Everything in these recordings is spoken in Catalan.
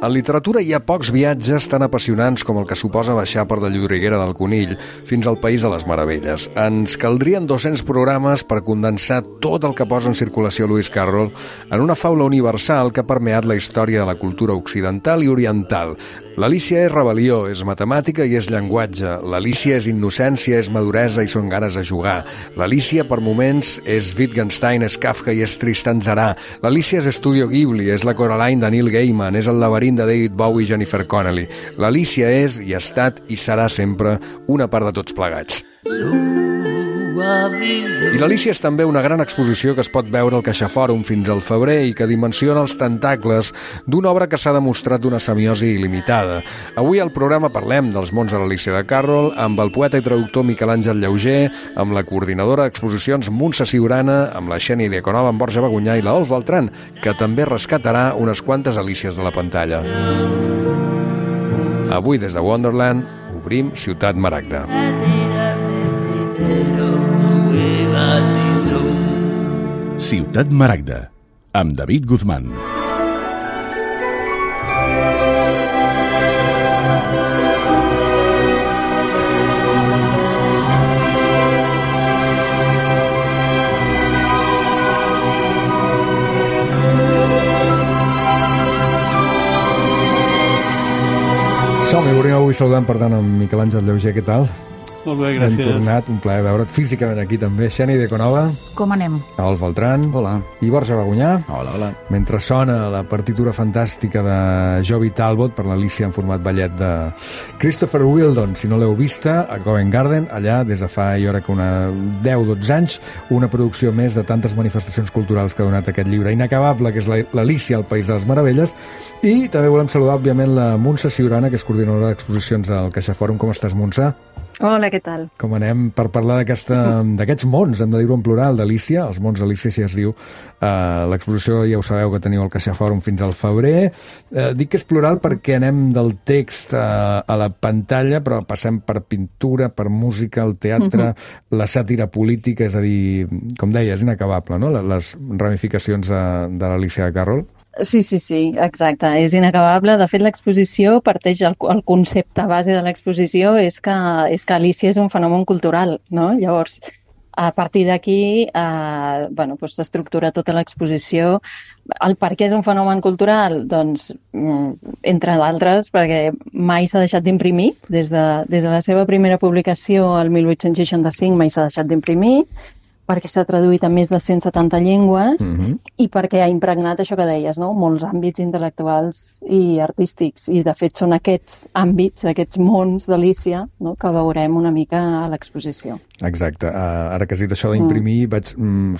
En literatura hi ha pocs viatges tan apassionants com el que suposa baixar per la Llodriguera del Conill fins al País de les Meravelles. Ens caldrien 200 programes per condensar tot el que posa en circulació Lewis Carroll en una faula universal que ha permeat la història de la cultura occidental i oriental. L'Alícia és rebel·lió, és matemàtica i és llenguatge. L'Alícia és innocència, és maduresa i són ganes de jugar. L'Alícia, per moments, és Wittgenstein, és Kafka i és Tristan Tzara. L'Alícia és Estudio Ghibli, és la Coraline de Neil Gaiman, és el laberint de David Bowie i Jennifer Connelly. L'Alícia és, i ha estat, i serà sempre una part de tots plegats. I l'Alícia és també una gran exposició que es pot veure al CaixaFòrum fins al febrer i que dimensiona els tentacles d'una obra que s'ha demostrat d'una semiosi il·limitada. Avui al programa parlem dels mons de l'Alícia de Carroll amb el poeta i traductor Miquel Àngel Llauger, amb la coordinadora d'exposicions Montse Siurana, amb la Xènia Diaconova, amb Borja Bagunyà i la Dols Beltrán, que també rescatarà unes quantes Alícies de la pantalla. Avui, des de Wonderland, obrim Ciutat Maragda. Ciutat Maragda, amb David Guzmán. Som-hi, obrim avui saludant, per tant, amb Miquel Àngel Llauger. Què tal? Molt bé, gràcies. Hem tornat, un plaer veure't físicament aquí també. Xènia Diaconova. Com anem? Dols Beltrán. Hola. I Borja Bagunyà. Hola, hola. Mentre sona la partitura fantàstica de Joby Talbot per l'Alícia en format ballet de Christopher Wheeldon, si no l'heu vista, a Covent Garden, allà des de fa, jo crec que una 10-12 anys, una producció més de tantes manifestacions culturals que ha donat aquest llibre inacabable, que és l'Alícia al País de les Meravelles. I també volem saludar, òbviament, la Montse Siurana, que és coordinadora d'exposicions al CaixaFòrum. Com estàs, Montse? Hola, què tal? Com anem per parlar d'aquests mons, hem de dir-ho en plural, d'Alícia, els mons d'Alícia, si es diu. L'exposició, ja ho sabeu, que teniu al CaixaFòrum fins al febrer. Dic que és plural perquè anem del text a la pantalla, però passem per pintura, per música, el teatre, la sàtira política, és a dir, com deia, és inacabable, no?, les ramificacions de l'Alícia de Carroll. Sí, exacte, és inacabable. De fet, l'exposició parteix, el concepte base de l'exposició és que Alícia és un fenomen cultural, no? Llavors, a partir d'aquí, s'estructura tota l'exposició. El per què és un fenomen cultural? Doncs, entre d'altres, perquè mai s'ha deixat d'imprimir. Des de la seva primera publicació, el 1865, mai s'ha deixat d'imprimir, perquè s'ha traduït en més de 170 llengües i perquè ha impregnat això que deies, no?, molts àmbits intel·lectuals i artístics. I, de fet, són aquests àmbits, aquests mons d'Alícia, no?, que veurem una mica a l'exposició. Exacte. Ara que has dit això d'imprimir,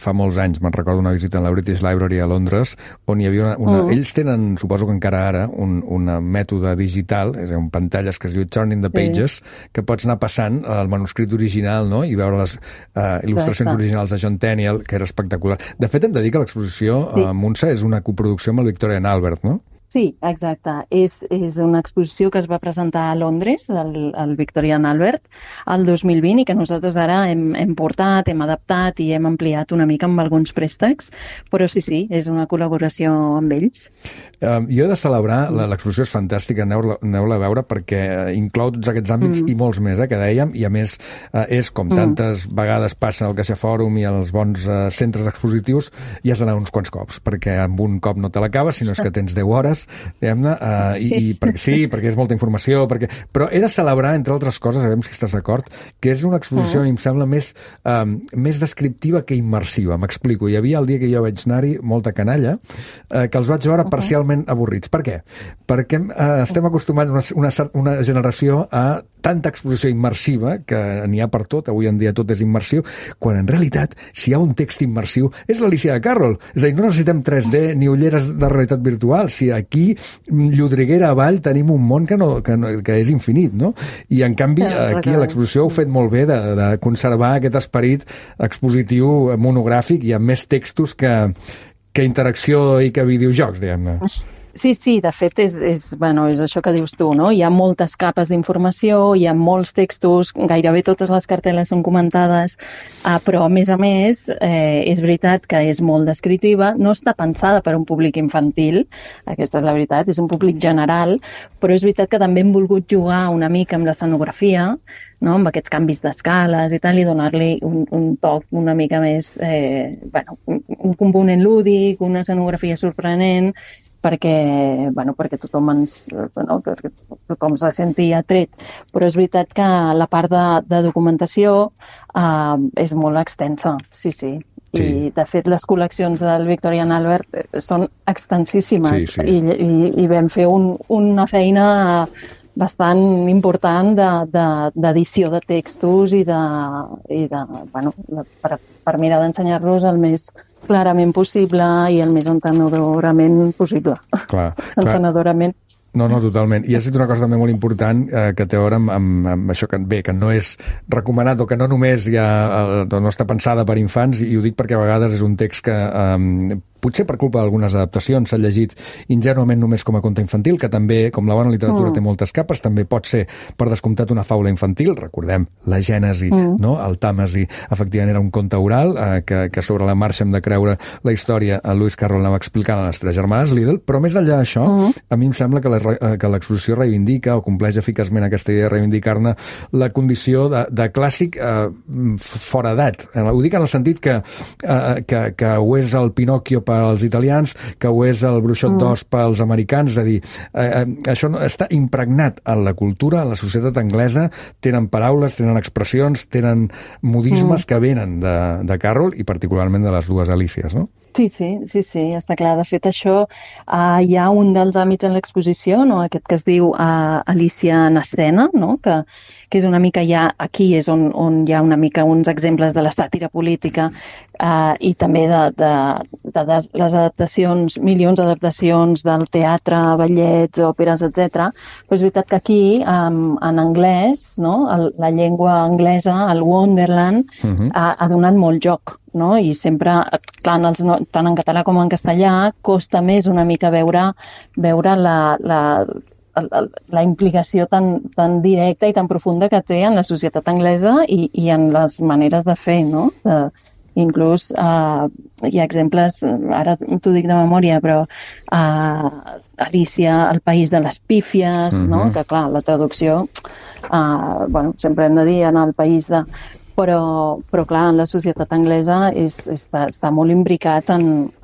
fa molts anys, me'n recordo una visita a la British Library a Londres, on hi havia ells tenen, suposo que encara ara, un mètode digital, és a dir, pantalles que es diu Turning the Pages, que pots anar passant el manuscrit original, no?, i veure les il·lustracions originals de John Tenniel, que era espectacular. De fet, hem de dir que l'exposició, Montse, és una coproducció amb el Victorian Albert, no? Sí, exacte. És una exposició que es va presentar a Londres, al Victorian Albert, el 2020, i que nosaltres ara hem portat, hem adaptat i hem ampliat una mica amb alguns préstecs, però sí, és una col·laboració amb ells. Jo he de celebrar, l'exposició és fantàstica, aneu-la a veure, perquè inclou tots aquests àmbits i molts més, que dèiem, i a més és, com tantes vegades passa al CaixaFòrum i als bons centres expositius, hi has d'anar uns quants cops, perquè amb un cop no te l'acabes, sinó és que tens 10 hores, diguem-ne, perquè és molta informació, però he de celebrar, entre altres coses, a veure si estàs d'acord, que és una exposició, em sembla, més descriptiva que immersiva. M'explico. Hi havia el dia que jo vaig anar-hi molta canalla, que els vaig veure parcialment avorrits. Per què? Perquè estem acostumats una generació a tanta exposició immersiva, que n'hi ha per tot, avui en dia tot és immersiu, quan en realitat, si hi ha un text immersiu, és l'Alícia de Carroll. És a dir, no necessitem 3D ni ulleres de realitat virtual. Si aquí, Llodriguera avall, tenim un món que és infinit, no? I, en canvi, aquí a l'exposició heu fet molt bé de conservar aquest esperit expositiu monogràfic i amb més textos que interacció i que videojocs, diguem-ne. Sí, de fet és això que dius tu, no? Hi ha moltes capes d'informació, hi ha molts textos, gairebé totes les cartel·les són comentades, però a més, és veritat que és molt descriptiva, no està pensada per a un públic infantil, aquesta és la veritat, és un públic general, però és veritat que també hem volgut jugar una mica amb l'escenografia, no? Amb aquests canvis d'escales i tal, i donar-li un toc una mica més, un component lúdic, una escenografia sorprenent, perquè tothom se senti atret. Però és veritat que la part de documentació és molt extensa, sí. I, de fet, les col·leccions del Victorian Albert són extensíssimes. Sí. I vam fer una feina bastant important d'edició de textos i per mirar d'ensenyar-los el més clarament possible i el més entenedorament possible. Clar. Entenedorament. No, totalment. I has dit una cosa també molt important que té a veure amb això que no és recomanat o que no només no està pensada per infants, i ho dic perquè a vegades és un text que potser per culpa d'algunes adaptacions s'ha llegit ingenuament només com a conte infantil, que també, com la bona literatura té moltes capes, també pot ser per descomptat una faula infantil. Recordem la Gènesi, no? El Tàmesi, efectivament, era un conte oral que sobre la marxa hem de creure la història. El Lewis Carroll anava explicant a les tres germanes Liddell, però més enllà d'això, a mi em sembla que l'exposició reivindica o compleix eficaçment aquesta idea de reivindicar-ne la condició de clàssic fora edat. Ho dic en el sentit que ho és el Pinòquio per als italians, que ho és el Bruixot d'Oz pels americans, és a dir, això està impregnat en la cultura, en la societat anglesa, tenen paraules, tenen expressions, tenen modismes que venen de Carroll i particularment de les dues Alícies, no? Sí, està clar. De fet, això hi ha un dels àmbits en l'exposició, no? Aquest que es diu Alícia en escena, no? Que és una mica aquí és on hi ha una mica uns exemples de la sàtira política i també de les adaptacions, milions d'adaptacions del teatre, ballets, òperes, etc. Però és veritat que aquí, en anglès, no? La llengua anglesa, el Wonderland, ha donat molt joc, no? I sempre, clar, tant en català com en castellà, costa més una mica veure la implicació tan directa i tan profunda que té en la societat anglesa i en les maneres de fer, no? Inclús hi ha exemples, ara t'ho dic de memòria, però Alícia, el país de les pífies, no? Que clar, la traducció, sempre hem de dir anar al país de... Però clar, en la societat anglesa està molt imbricat en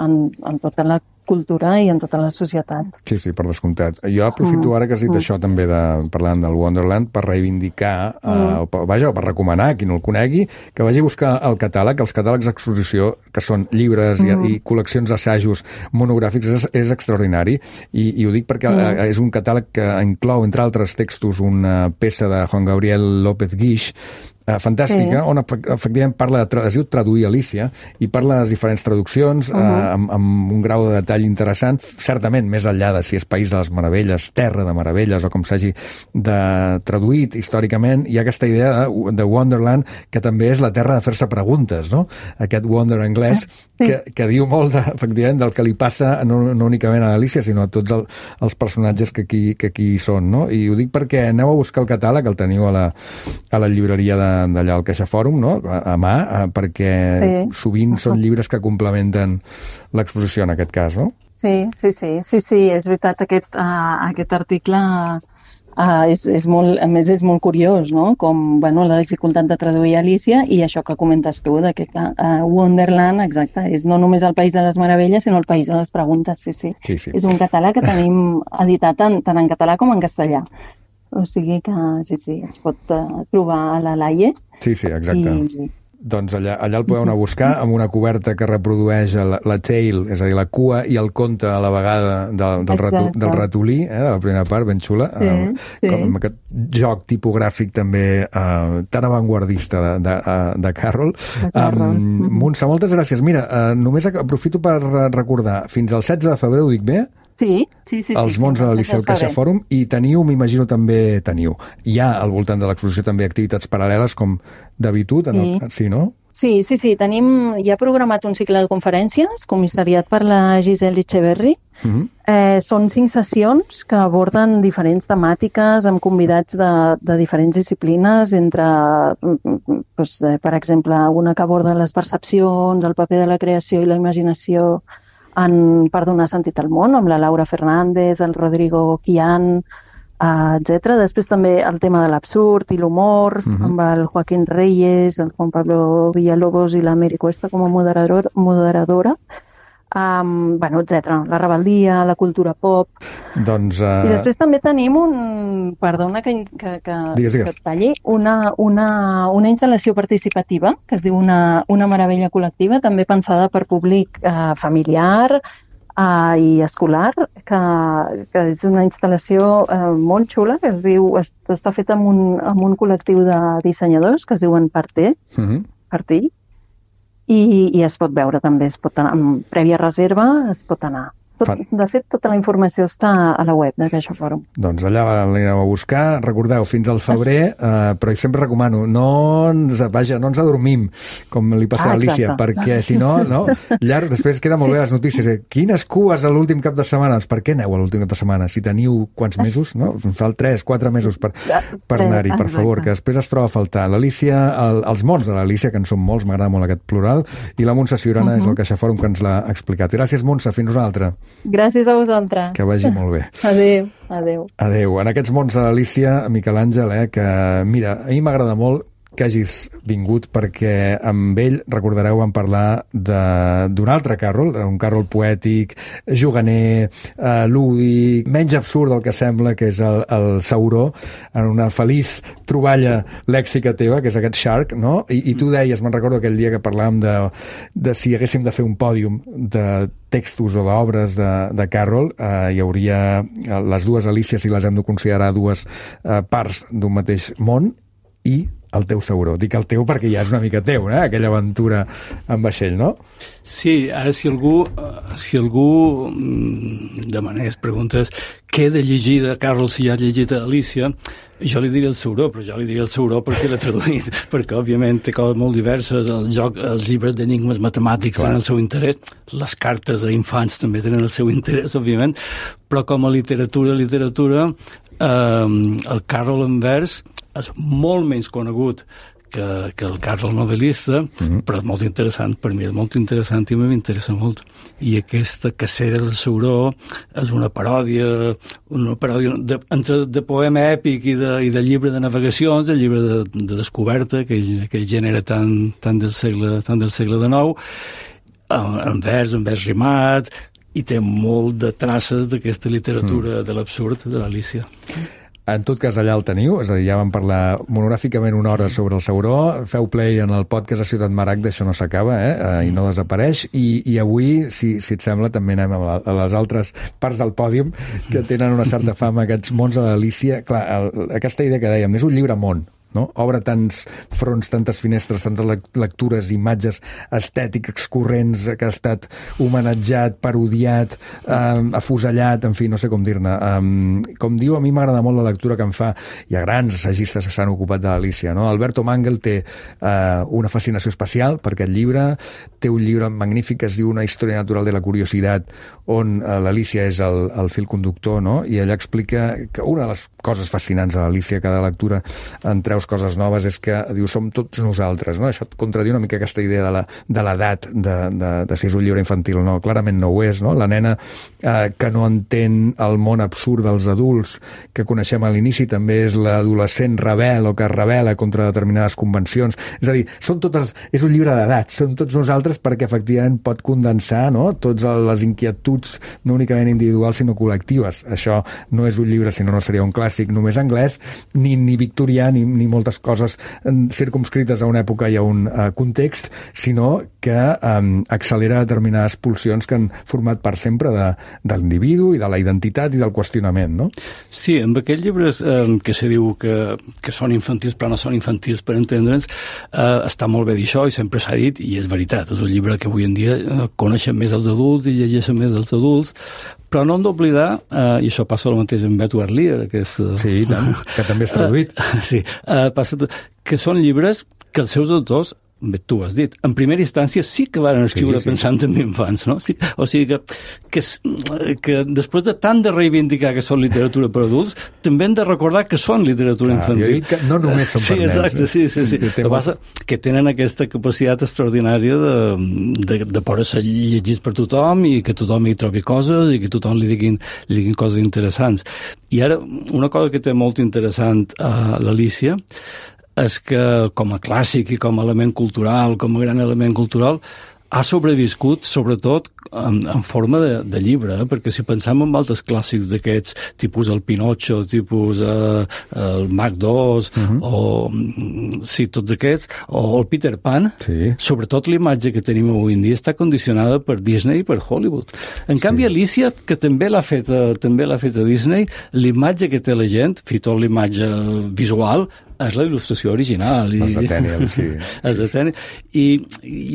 tota la cultura i en tota la societat. Sí, per descomptat. Jo aprofito ara que has dit això també parlant del Wonderland per reivindicar, o per recomanar a qui no el conegui, que vagi a buscar el catàleg, els catàlegs d'exposició, que són llibres i col·leccions d'assajos monogràfics, és extraordinari. I ho dic perquè és un catàleg que inclou, entre altres textos, una peça de Juan Gabriel López Guix, fantàstica, on efectivament es diu Traduir Alícia, i parla de les diferents traduccions amb un grau de detall interessant, certament més enllà de si és País de les Meravelles, Terra de Meravelles, o com s'hagi traduït històricament. Hi ha aquesta idea de Wonderland, que també és la terra de fer-se preguntes, no? Aquest wonder anglès que diu molt, efectivament, del que li passa no únicament a Alícia, sinó a tots els personatges que aquí hi són, no? I ho dic perquè aneu a buscar el catàleg, el teniu a la llibreria d'allà al CaixaFòrum, no? A mà, perquè sovint són llibres que complementen l'exposició en aquest cas, no? Sí, és veritat, aquest article és molt, a més és molt curiós, no? Com la dificultat de traduir Alícia i això que comentes tu, que Wonderland, exacte, és no només el País de les Meravelles, sinó el País de les Preguntes, sí. És un catàleg que tenim editat tant en català com en castellà. O sigui que sí, es pot trobar a la Laie. Sí, exacte. Doncs allà el podeu anar a buscar amb una coberta que reprodueix la tail, és a dir, la cua i el conte a la vegada del ratolí, de la primera part, ben xula, amb aquest joc tipogràfic també tan avantguardista de Carroll. Montse, moltes gràcies. Mira, només aprofito per recordar, fins al 16 de febrer, ho dic bé? Sí. Els mons de l'Alícia al CaixaFòrum, i m'imagino hi ha al voltant de l'exposició també activitats paral·leles com d'habitud, sí, no? Sí. Hi ha programat un cicle de conferències, comissariat per la Giselle Echeverri. Són 5 sessions que aborden diferents temàtiques amb convidats de diferents disciplines, entre, per exemple, una que aborda les percepcions, el paper de la creació i la imaginació per donar sentit al món, amb la Laura Fernández, el Rodrigo Quian, etc. Després també el tema de l'absurd i l'humor, amb el Joaquín Reyes, el Juan Pablo Villalobos i la Mary Cuesta com a moderadora. Etc. La rebel·lia, la cultura pop. Doncs, I després també tenim perdona que et talli, una instal·lació participativa que es diu una meravella col·lectiva, també pensada per públic familiar i escolar, que és una instal·lació molt xula, que està feta amb un col·lectiu de dissenyadors que es diuen Partí, i es pot veure també, es pot anar, amb prèvia reserva es pot anar. De fet, tota la informació està a la web de CaixaForum. Doncs allà l'anireu a buscar. Recordeu, fins al febrer, però sempre recomano, no ens adormim, com li passa a Alicia, perquè si no, llarg, després queda molt bé les notícies. Quines cues a l'últim cap de setmana? Per què aneu a l'últim cap de setmana? Si teniu quants mesos, no? Fa 3-4 mesos per anar-hi, per favor, que després es troba a faltar. L'Alicia, els mons de l'Alicia, que en són molts, m'agrada molt aquest plural, i la Montse Ciurana és el CaixaForum que ens l'ha explicat. Gràcies, Montse, fins una altra. Gràcies a vosaltres. Que vagi molt bé. Adéu. En aquests mons de l'Alicia, Miquel Àngel, que mira, a mi m'agrada molt que hagis vingut perquè amb ell, recordareu, vam parlar d'un altre Carroll, un Carroll poètic, juganer, lúdic, menys absurd del que sembla, que és el Sauró, en una feliç troballa lèxica teva, que és aquest Shark, no? I tu deies, me'n recordo aquell dia que parlàvem de si haguéssim de fer un pòdium de textos o d'obres de Carroll, hi hauria les dues Alícies, si les hem de considerar dues parts d'un mateix món, i el teu Sauró. Dic el teu perquè ja és una mica teu, aquella aventura amb vaixell, no? Sí, ara si algú demanés, preguntes què he de llegir de Carroll si ja ha llegit Alícia, jo li diria el Sauró, però jo li diria el Sauró perquè l'he traduït, perquè òbviament té coses molt diverses, els llibres d'enigmes matemàtics tenen el seu interès, les cartes a infants també tenen el seu interès, òbviament, però com a literatura, el Carroll en vers és molt menys conegut que el Carroll novel·lista, però és molt interessant, per mi és molt interessant i m'interessa molt. I aquesta cacera del Sauró és una paròdia entre de poema èpic i de llibre de navegacions, de llibre de descoberta, aquell gènere tan del segle XIX, en vers rimat, i té molt de traces d'aquesta literatura de l'absurd de l'Alícia. En tot cas, allà el teniu, és a dir, ja vam parlar monogràficament una hora sobre el Sauró, feu play en el podcast a Ciutat Maragda, això no s'acaba, i no desapareix, i avui, si et sembla, també anem a les altres parts del pòdium que tenen una certa fama, aquests mons de l'Alícia. Clar, aquesta idea que dèiem, és un llibre món, no? Obre tants fronts, tantes finestres, tantes lectures, imatges estètiques corrents, que ha estat homenatjat, parodiat, afusellat, en fi, no sé com dir-ne. Com diu, a mi m'agrada molt la lectura que en fa. Hi ha grans assagistes que s'han ocupat de l'Alícia, no? Alberto Mangel té una fascinació especial per aquest llibre, té un llibre magnífic que es diu Una història natural de la curiositat, on l'Alícia és el fil conductor, no? I ella explica que una de les coses fascinants de l'Alícia, cada lectura en treus coses noves, és que diu, som tots nosaltres, no? Això contradiu una mica aquesta idea de l'edat, de si és un llibre infantil o no. Clarament no ho és, no? La nena que no entén el món absurd dels adults que coneixem a l'inici també és l'adolescent rebel o que es rebel·la contra determinades convencions. És a dir, és un llibre d'edat, som tots nosaltres perquè efectivament pot condensar, no? Totes les inquietuds no únicament individuals sinó col·lectives. Això no és un llibre, si no seria un clàssic només anglès, ni victorià, ni moltes coses circumscrites a una època i a un context, sinó que accelera determinades pulsions que han format part sempre de l'individu i de la identitat i del qüestionament, no? Sí, amb aquests llibres que se diu que són infantils però no són infantils per entendre'ns, està molt bé dir això i sempre s'ha dit, i és veritat, és un llibre que avui en dia coneixen més els adults i llegeixen més els adults, però no hem d'oblidar, i això passa el mateix amb Edward Lear, que és... Sí, tant, que també és traduït. Sí, passa que són llibres que els seus autors bé, tu has dit, en primera instància sí que van escriure pensant en infants, no? Sí, o sigui que després de tant de reivindicar que són literatura per adults, també hem de recordar que són literatura infantil. Jo dic que no només són per nens. Exacte, sí. El que passa que tenen aquesta capacitat extraordinària de poder ser llegits per tothom i que tothom hi trobi coses i que tothom li diguin coses interessants. I ara, una cosa que té molt interessant a l'Alícia és que com a clàssic i com a element cultural, com a gran element cultural, ha sobreviscut, sobretot, en forma de llibre, perquè si pensem en altres clàssics d'aquests, tipus el Pinocho, tipus el Mac 2, o sí, tots aquests, o el Peter Pan, sobretot l'imatge que tenim avui en dia està condicionada per Disney i per Hollywood. En canvi, Alícia, que també l'ha fet a Disney, l'imatge que té la gent, fins i tot l'imatge visual, és la il·lustració original. Els de Tenniel, sí. Els de Tenniel. I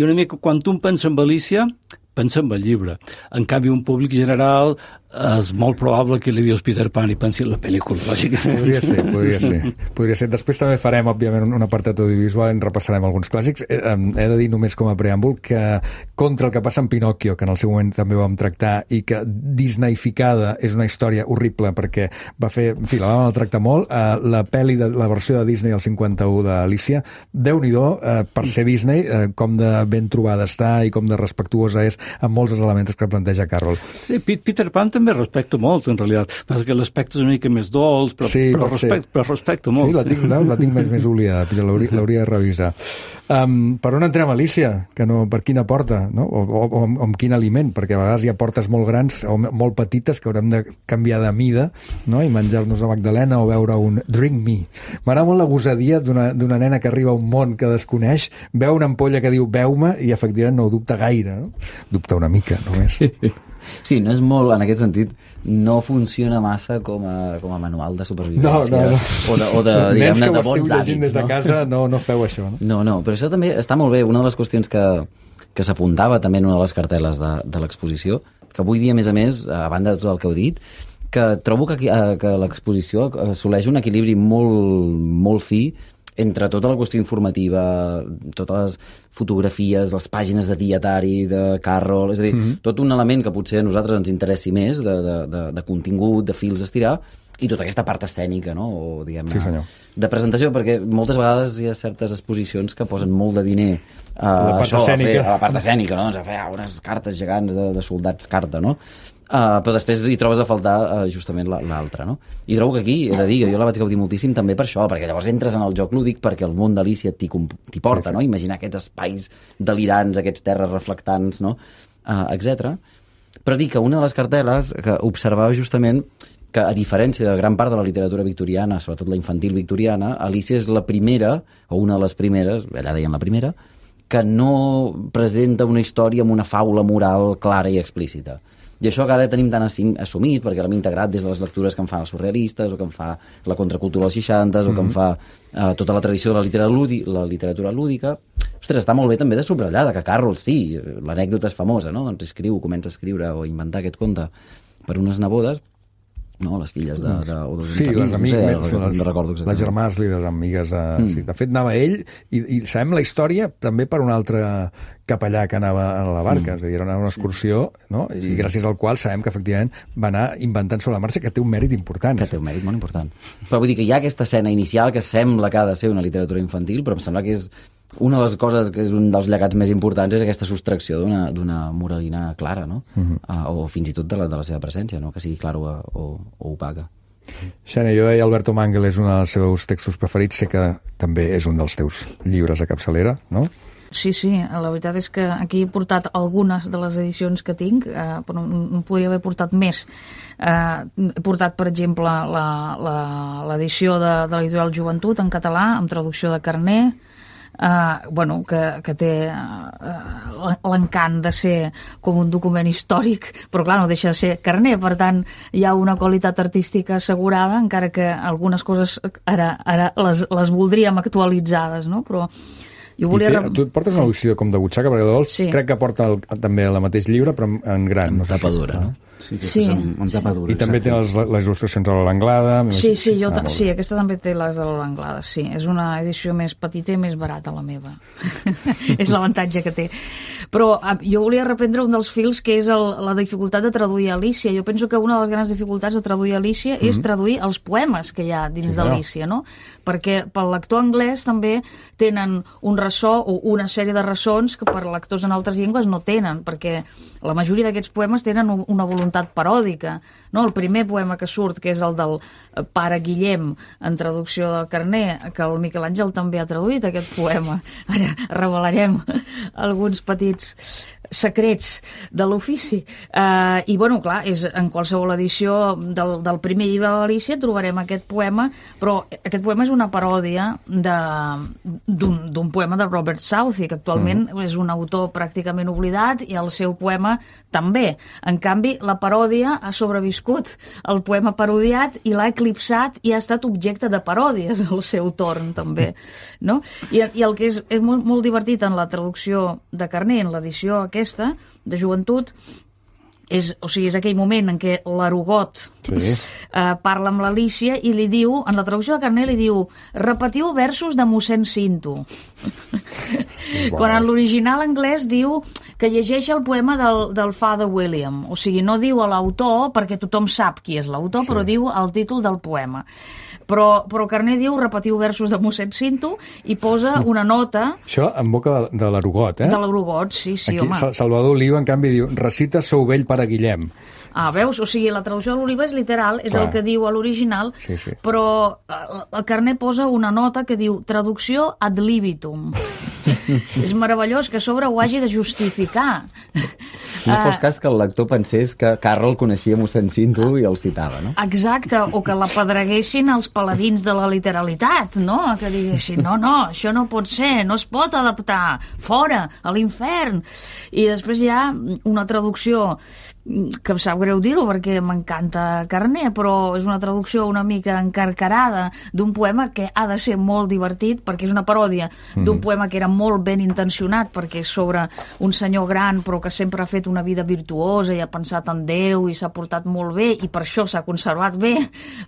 una mica, quan tu pensa en Alícia, pensa en el llibre. En canvi, un públic general és molt probable que li dius Peter Pan i pensi en la pel·lícula, lògicament. Podria ser. Després també farem, òbviament, un apartat audiovisual, en repassarem alguns clàssics. He de dir només com a preàmbul que contra el que passa en Pinòquio, que en el seu moment també vam tractar, i que disneyficada és una història horrible perquè va fer, en fi, la vam tractar molt, la versió de Disney al 51 d'Alícia, Déu-n'hi-do, per ser Disney, com de ben trobada està i com de respectuosa és amb molts dels elements que planteja Carroll. Peter Pan també respecto molt, en realitat. Passa que l'aspecte és una mica més dolç, però respecto molt. Sí, la tinc més oblidada, l'hauria de revisar. Per on entrem, Alícia? Per quina porta? No? O amb quin aliment? Perquè a vegades hi ha portes molt grans o molt petites que haurem de canviar de mida, no? I menjar-nos a Magdalena o veure un Drink Me. M'agrada molt la gosadia d'una nena que arriba a un món que desconeix, veu una ampolla que diu veu-me i efectivament no ho dubta gaire, no? Dubta una mica, només. Sí, no és molt, en aquest sentit, no funciona massa com a manual de supervivència. No. O de, diguem-ne, de bons hàbits. Des de casa no feu això, no? No, però això també està molt bé. Una de les qüestions que s'apuntava també en una de les cartel·les de l'exposició, que avui dia, a més, a banda de tot el que heu dit, que trobo que l'exposició assoleix un equilibri molt, molt fi entre tota la qüestió informativa, totes les fotografies, les pàgines de dietari, de Carroll, és a dir, tot un element que potser a nosaltres ens interessi més, de contingut, de fils a estirar, i tota aquesta part escènica, no? O, diguem-ne, de presentació, perquè moltes vegades hi ha certes exposicions que posen molt de diner a la part escènica, no? Doncs a fer unes cartes gegants de soldats carta, no? Però després hi trobes a faltar justament l'altra, no? I trobo que aquí, he de dir, jo la vaig gaudir moltíssim també per això, perquè llavors entres en el joc lúdic perquè el món d'Alícia t'hi porta, no? Imaginar aquests espais delirants, aquests terres reflectants, no? Etc. Però dir que una de les cartel·les que observava justament que, a diferència de gran part de la literatura victoriana, sobretot la infantil victoriana, Alícia és la primera, o una de les primeres, allà deien la primera, que no presenta una història amb una faula moral clara i explícita. I això que ara tenim tan assumit, perquè l'hem integrat des de les lectures que en fan els surrealistes, o que en fa la contracultura dels 60, o que en fa tota la tradició de la literatura lúdica. Ostres, està molt bé també de subratllar, que Carroll, sí, l'anècdota és famosa, no? Doncs comença a escriure o a inventar aquest conte per unes nebodes, no? Les filles les amigues, les germanes líders amigues. Sí. De fet, anava ell, i sabem la història també per un altre capellà que anava a la barca, és a dir, era una excursió, no? I gràcies al qual sabem que efectivament va anar inventant sobre la marxa, que té un mèrit important. Que té un mèrit molt important. Però vull dir que hi ha aquesta escena inicial que sembla que ha de ser una literatura infantil, però em sembla que és una de les coses que és un dels llegats més importants és aquesta sostracció d'una moralina clara, no? O fins i tot de la seva presència, no? Que sigui clara o opaca. Xènia, jo deia Alberto Mangel és un dels seus textos preferits, sé que també és un dels teus llibres a capçalera, no? Sí, la veritat és que aquí he portat algunes de les edicions que tinc, però no podria haver portat més. He portat, per exemple, l'edició de l'editorial Joventut en català, amb traducció de Carner, que té l'encant de ser com un document històric, però clar, no deixa de ser Carner, per tant hi ha una qualitat artística assegurada, encara que algunes coses ara les voldríem actualitzades, no? Però jo volia... Tu et portes una edició com de butxaca, perquè crec que porta també el mateix llibre, però en gran. En tapa dura, no? Sí. Amb tapadura. I també té les il·lustracions a l'Anglada. Sí, aquesta també té les de l'Anglada, sí. És una edició més petita i més barata, la meva. És l'avantatge que té. Però jo volia reprendre un dels fils, que és la dificultat de traduir Alícia. Jo penso que una de les grans dificultats de traduir Alícia és traduir els poemes que hi ha dins d'Alícia, no? Perquè pel lector anglès també tenen un ressò o una sèrie de ressons que per lectors en altres llengües no tenen, perquè la majoria d'aquests poemes tenen una voluntat paròdica, no? El primer poema que surt, que és el del pare Guillem, en traducció del Carner, que el Miquel Àngel també ha traduït aquest poema. Ara revelarem alguns petits secrets de l'ofici. I, bueno, clar, en qualsevol edició del primer llibre de l'Alícia trobarem aquest poema, però aquest poema és una paròdia d'un poema de Robert Southey, que actualment és un autor pràcticament oblidat, i el seu poema també. En canvi, la paròdia ha sobreviscut el poema parodiat i l'ha eclipsat i ha estat objecte de paròdies al seu torn, també. No? I el que és molt, molt divertit en la traducció de Carner, en l'edició aquesta, de joventut, és aquell moment en què l'Arugot parla amb l'Alícia i li diu, en la traducció de Carner li diu, repetiu versos de mossèn Cinto. Quan en l'original anglès diu que llegeix el poema del Father William. O sigui, no diu a l'autor, perquè tothom sap qui és l'autor, però diu el títol del poema. Però Carner diu repetiu versos de mossèn Cinto i posa una nota... Això en boca de l'Arugot, De l'Arugot, sí, aquí, home. Salvador Oliva, en canvi, diu recita Sou vell pare Guillem. Veus? O sigui, la traducció de l'Oliva és literal, és el que diu a l'original, però el Carner posa una nota que diu traducció ad libitum. És meravellós que a sobre ho hagi de justificar. No fos cas que el lector pensés que Carroll coneixia mossèn Cinto i el citava, no? Exacte, o que la pedreguessin els paladins de la literalitat, no? Que diguessin, no, això no pot ser, no es pot adaptar, fora, a l'infern. I després hi ha una traducció que em sap greu dir-ho perquè m'encanta Carner, però és una traducció una mica encarcarada d'un poema que ha de ser molt divertit perquè és una paròdia d'un poema que era molt ben intencionat perquè és sobre un senyor gran però que sempre ha fet una vida virtuosa i ha pensat en Déu i s'ha portat molt bé i per això s'ha conservat bé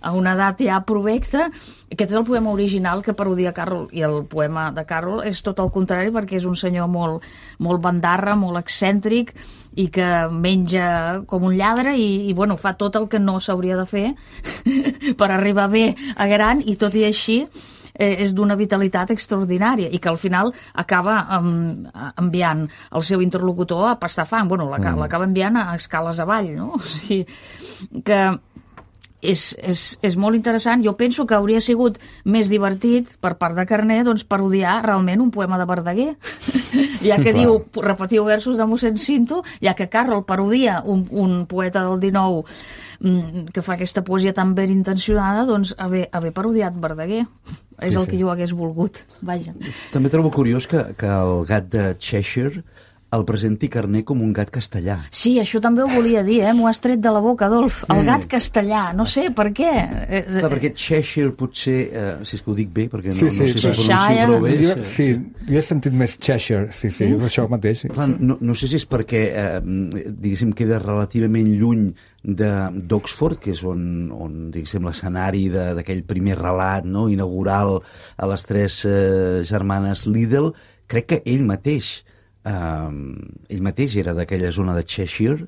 a una edat ja provecta. Aquest és el poema original que parodia Carroll i el poema de Carroll és tot el contrari perquè és un senyor molt, molt bandarra, molt excèntric i que menja com un lladre i bueno, fa tot el que no s'hauria de fer per arribar bé a gran i tot i així és d'una vitalitat extraordinària i que al final acaba enviant el seu interlocutor a pastar fang. Bueno, l'acaba enviant a escales avall, no? O sigui, que és molt interessant. Jo penso que hauria sigut més divertit per part de Carner doncs, parodiar realment un poema de Verdaguer. Ja que diu, repetiu versos de mossèn Cinto, ja que Carroll parodia un poeta del 19 que fa aquesta poesia tan ben intencionada, doncs haver parodiat Verdaguer. És el que jo hagués volgut. Vaja. També trobo curiós que el gat de Cheshire el presenti Carner com un gat castellà. Sí, això també ho volia dir, m'ho has tret de la boca, Adolf. El gat castellà, no sé, per què? Clar, perquè Cheshire potser, si és que ho dic bé, perquè no sé si pronuncio prou bé. Sí, jo he sentit més Cheshire, sí, això mateix. Clar, no sé si és perquè, diguéssim, queda relativament lluny d'Oxford, que és on diguéssim, l'escenari d'aquell primer relat inaugural a les tres germanes Liddell. Crec que ell mateix era d'aquella zona de Cheshire,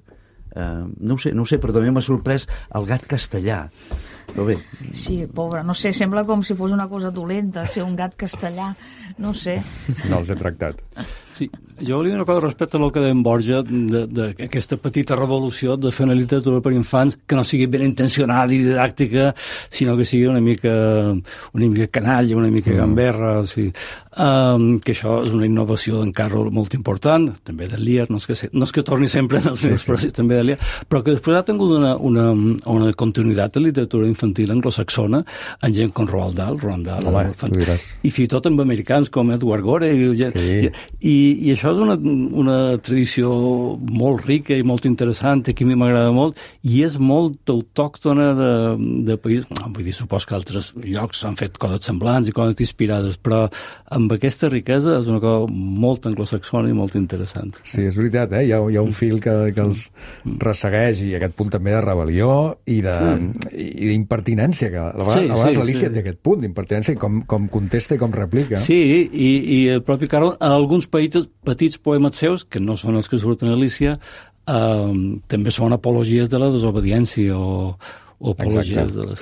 no ho sé, però també m'ha sorprès el gat castellà. Però bé. Sí, pobre, no sé, sembla com si fos una cosa dolenta ser un gat castellà, no sé. No els he tractat. Sí, jo volia dir una cosa respecte al que deia en Borja d'aquesta petita revolució de fer una literatura per infants que no sigui ben intencionada i didàctica, sinó que sigui una mica canalla, una mica gamberra, o sigui, que això és una innovació d'en Carroll molt important, també de Lear, no és que torni sempre en els meus, però sí, també de Lear, però que després ha tingut una continuïtat de literatura infantil anglosaxona en gent com Roald Dahl, i fins i tot amb americans com Edward Gorey, i això això és una tradició molt rica i molt interessant, que a mi m'agrada molt, i és molt autòctona de país. Vull dir, supos que altres llocs han fet coses semblants i coses inspirades, però amb aquesta riquesa és una cosa molt anglosaxona i molt interessant. Sí, és veritat, hi ha un fil que els ressegueix, i aquest punt també de rebel·lió i d'impertinència, que a vegades l'Alícia té aquest punt d'impertinència, com contesta i com replica. Sí, i el propi Carroll, en alguns petits poemes seus, que no són els que surten a Alícia, també són apologies de la desobediència o apologies de la...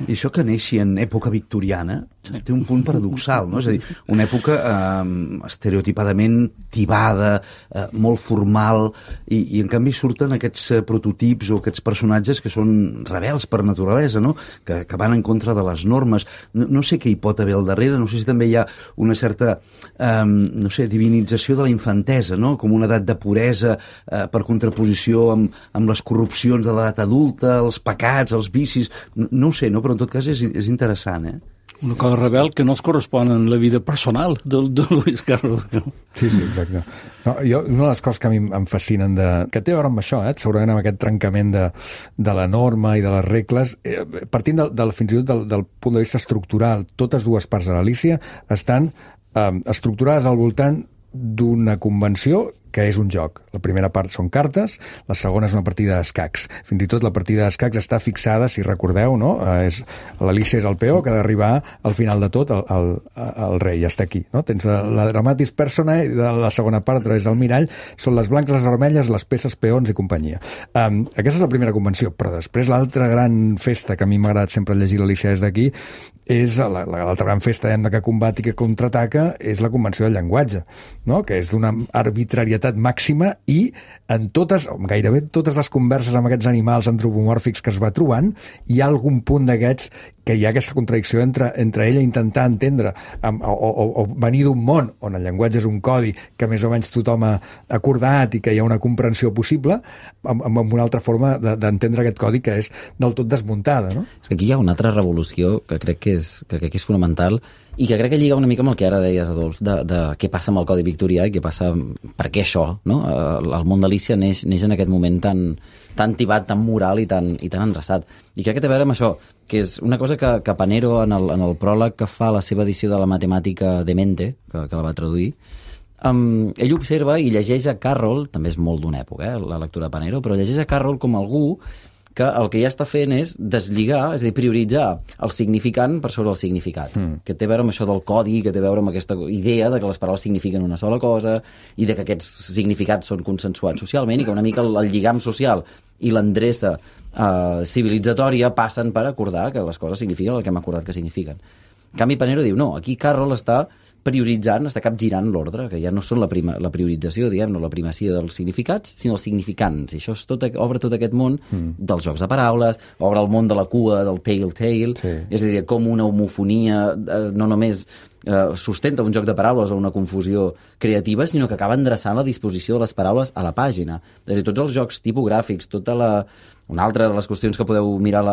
I això que neixi en època victoriana té un punt paradoxal, no? És a dir, una època estereotipadament tibada, molt formal, i en canvi surten aquests prototips o aquests personatges que són rebels per naturalesa, no? Que van en contra de les normes. No sé què hi pot haver al darrere, no sé si també hi ha una certa, divinització de la infantesa, no? Com una edat de puresa per contraposició amb les corrupcions de l'edat adulta, els pecats, els vicis, no ho sé, no? Però en tot cas és interessant, Una cosa rebel que no es correspon en la vida personal de Lewis Carroll. Sí, exacte. No, una de les coses que a mi em fascinen, que té a veure amb això, segurament amb aquest trencament de la norma i de les regles, partint fins i tot del punt de vista estructural, totes dues parts de l'Alícia estan estructurades al voltant d'una convenció que és un joc. La primera part són cartes, la segona és una partida d'escacs. Fins i tot la partida d'escacs està fixada, si recordeu, no? L'Alícia és el peó que ha d'arribar al final de tot el rei, ja està aquí. No? Tens la dramatis personae, de la segona part, a través del mirall, són les blanques, les vermelles, les peces, peons i companyia. Aquesta és la primera convenció, però després l'altra gran festa que a mi m'ha agradat sempre llegir l'Alícia des d'aquí és l'altra gran festa que combat i que contraataca és la convenció del llenguatge, no? Que és d'una arbitrarietat màxima, i en gairebé totes les converses amb aquests animals antropomòrfics que es va trobant, hi ha algun punt d'aquests que hi ha aquesta contradicció entre ella intentar entendre o venir d'un món on el llenguatge és un codi que més o menys tothom ha acordat i que hi ha una comprensió possible, amb una altra forma d'entendre aquest codi que és del tot desmuntada, no? És que aquí hi ha una altra revolució que crec que és fonamental, i que crec que lliga una mica amb el que ara deies, Adolf, de què passa amb el Codi Victorià i què passa... Per què això, no? El món d'Alícia neix en aquest moment tan tibat, tan moral i tan endreçat. I crec que té a veure amb això, que és una cosa que Panero, en el pròleg que fa la seva edició de la matemàtica de Mente, que la va traduir, ell observa i llegeix a Carroll, també és molt d'una època, la lectura de Panero, però llegeix a Carroll com algú que el que ja està fent és deslligar, és a dir, prioritzar el significant per sobre el significat, que té a veure amb això del codi, que té a veure amb aquesta idea de que les paraules signifiquen una sola cosa i de que aquests significats són consensuats socialment i que una mica el lligam social i l'endreça civilitzatòria passen per acordar que les coses signifiquen el que hem acordat que signifiquen. En canvi, Panero diu, no, aquí Carroll està prioritzant, està capgirant l'ordre, que ja no són la priorització, diguem-ne, la primacia dels significats, sinó els significants. I això obre tot aquest món dels jocs de paraules, obre el món de la cua, del tale-tale, és a dir, com una homofonia no només sustenta un joc de paraules o una confusió creativa, sinó que acaba endreçant la disposició de les paraules a la pàgina. És a dir, tots els jocs tipogràfics, una altra de les qüestions que podeu mirar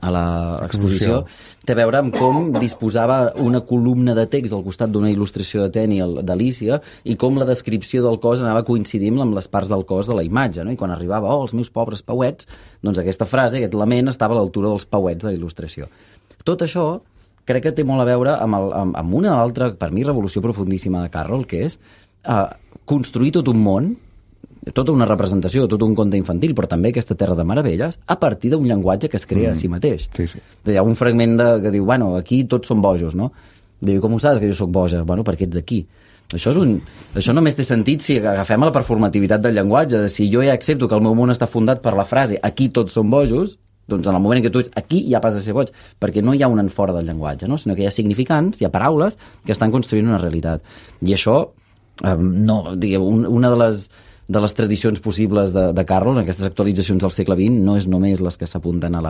a l'exposició, té a veure amb com disposava una columna de text al costat d'una il·lustració de Tenniel d'Alícia i com la descripció del cos anava coincidint amb les parts del cos de la imatge, no? I quan arribava, els meus pobres pauets, doncs aquesta frase, aquest lament, estava a l'altura dels pauets de la il·lustració. Tot això crec que té molt a veure amb una altra, per mi, revolució profundíssima de Carroll, que és construir tot un món, tota una representació, tot un conte infantil, però també aquesta terra de meravelles, a partir d'un llenguatge que es crea a si mateix. Sí. Hi ha un fragment que diu, bueno, aquí tots són bojos, no? Diu, com ho saps que jo sóc boja? Bueno, perquè ets aquí. Això només té sentit si agafem la performativitat del llenguatge, de si jo ja accepto que el meu món està fundat per la frase aquí tots són bojos, doncs en el moment en què tu ets aquí ja passes a ser boig, perquè no hi ha un en fora del llenguatge, no? Sinó que hi ha significants, hi ha paraules que estan construint una realitat. I això, una de les de les tradicions possibles de Carroll, aquestes actualitzacions del segle XX, no és només les que s'apunten a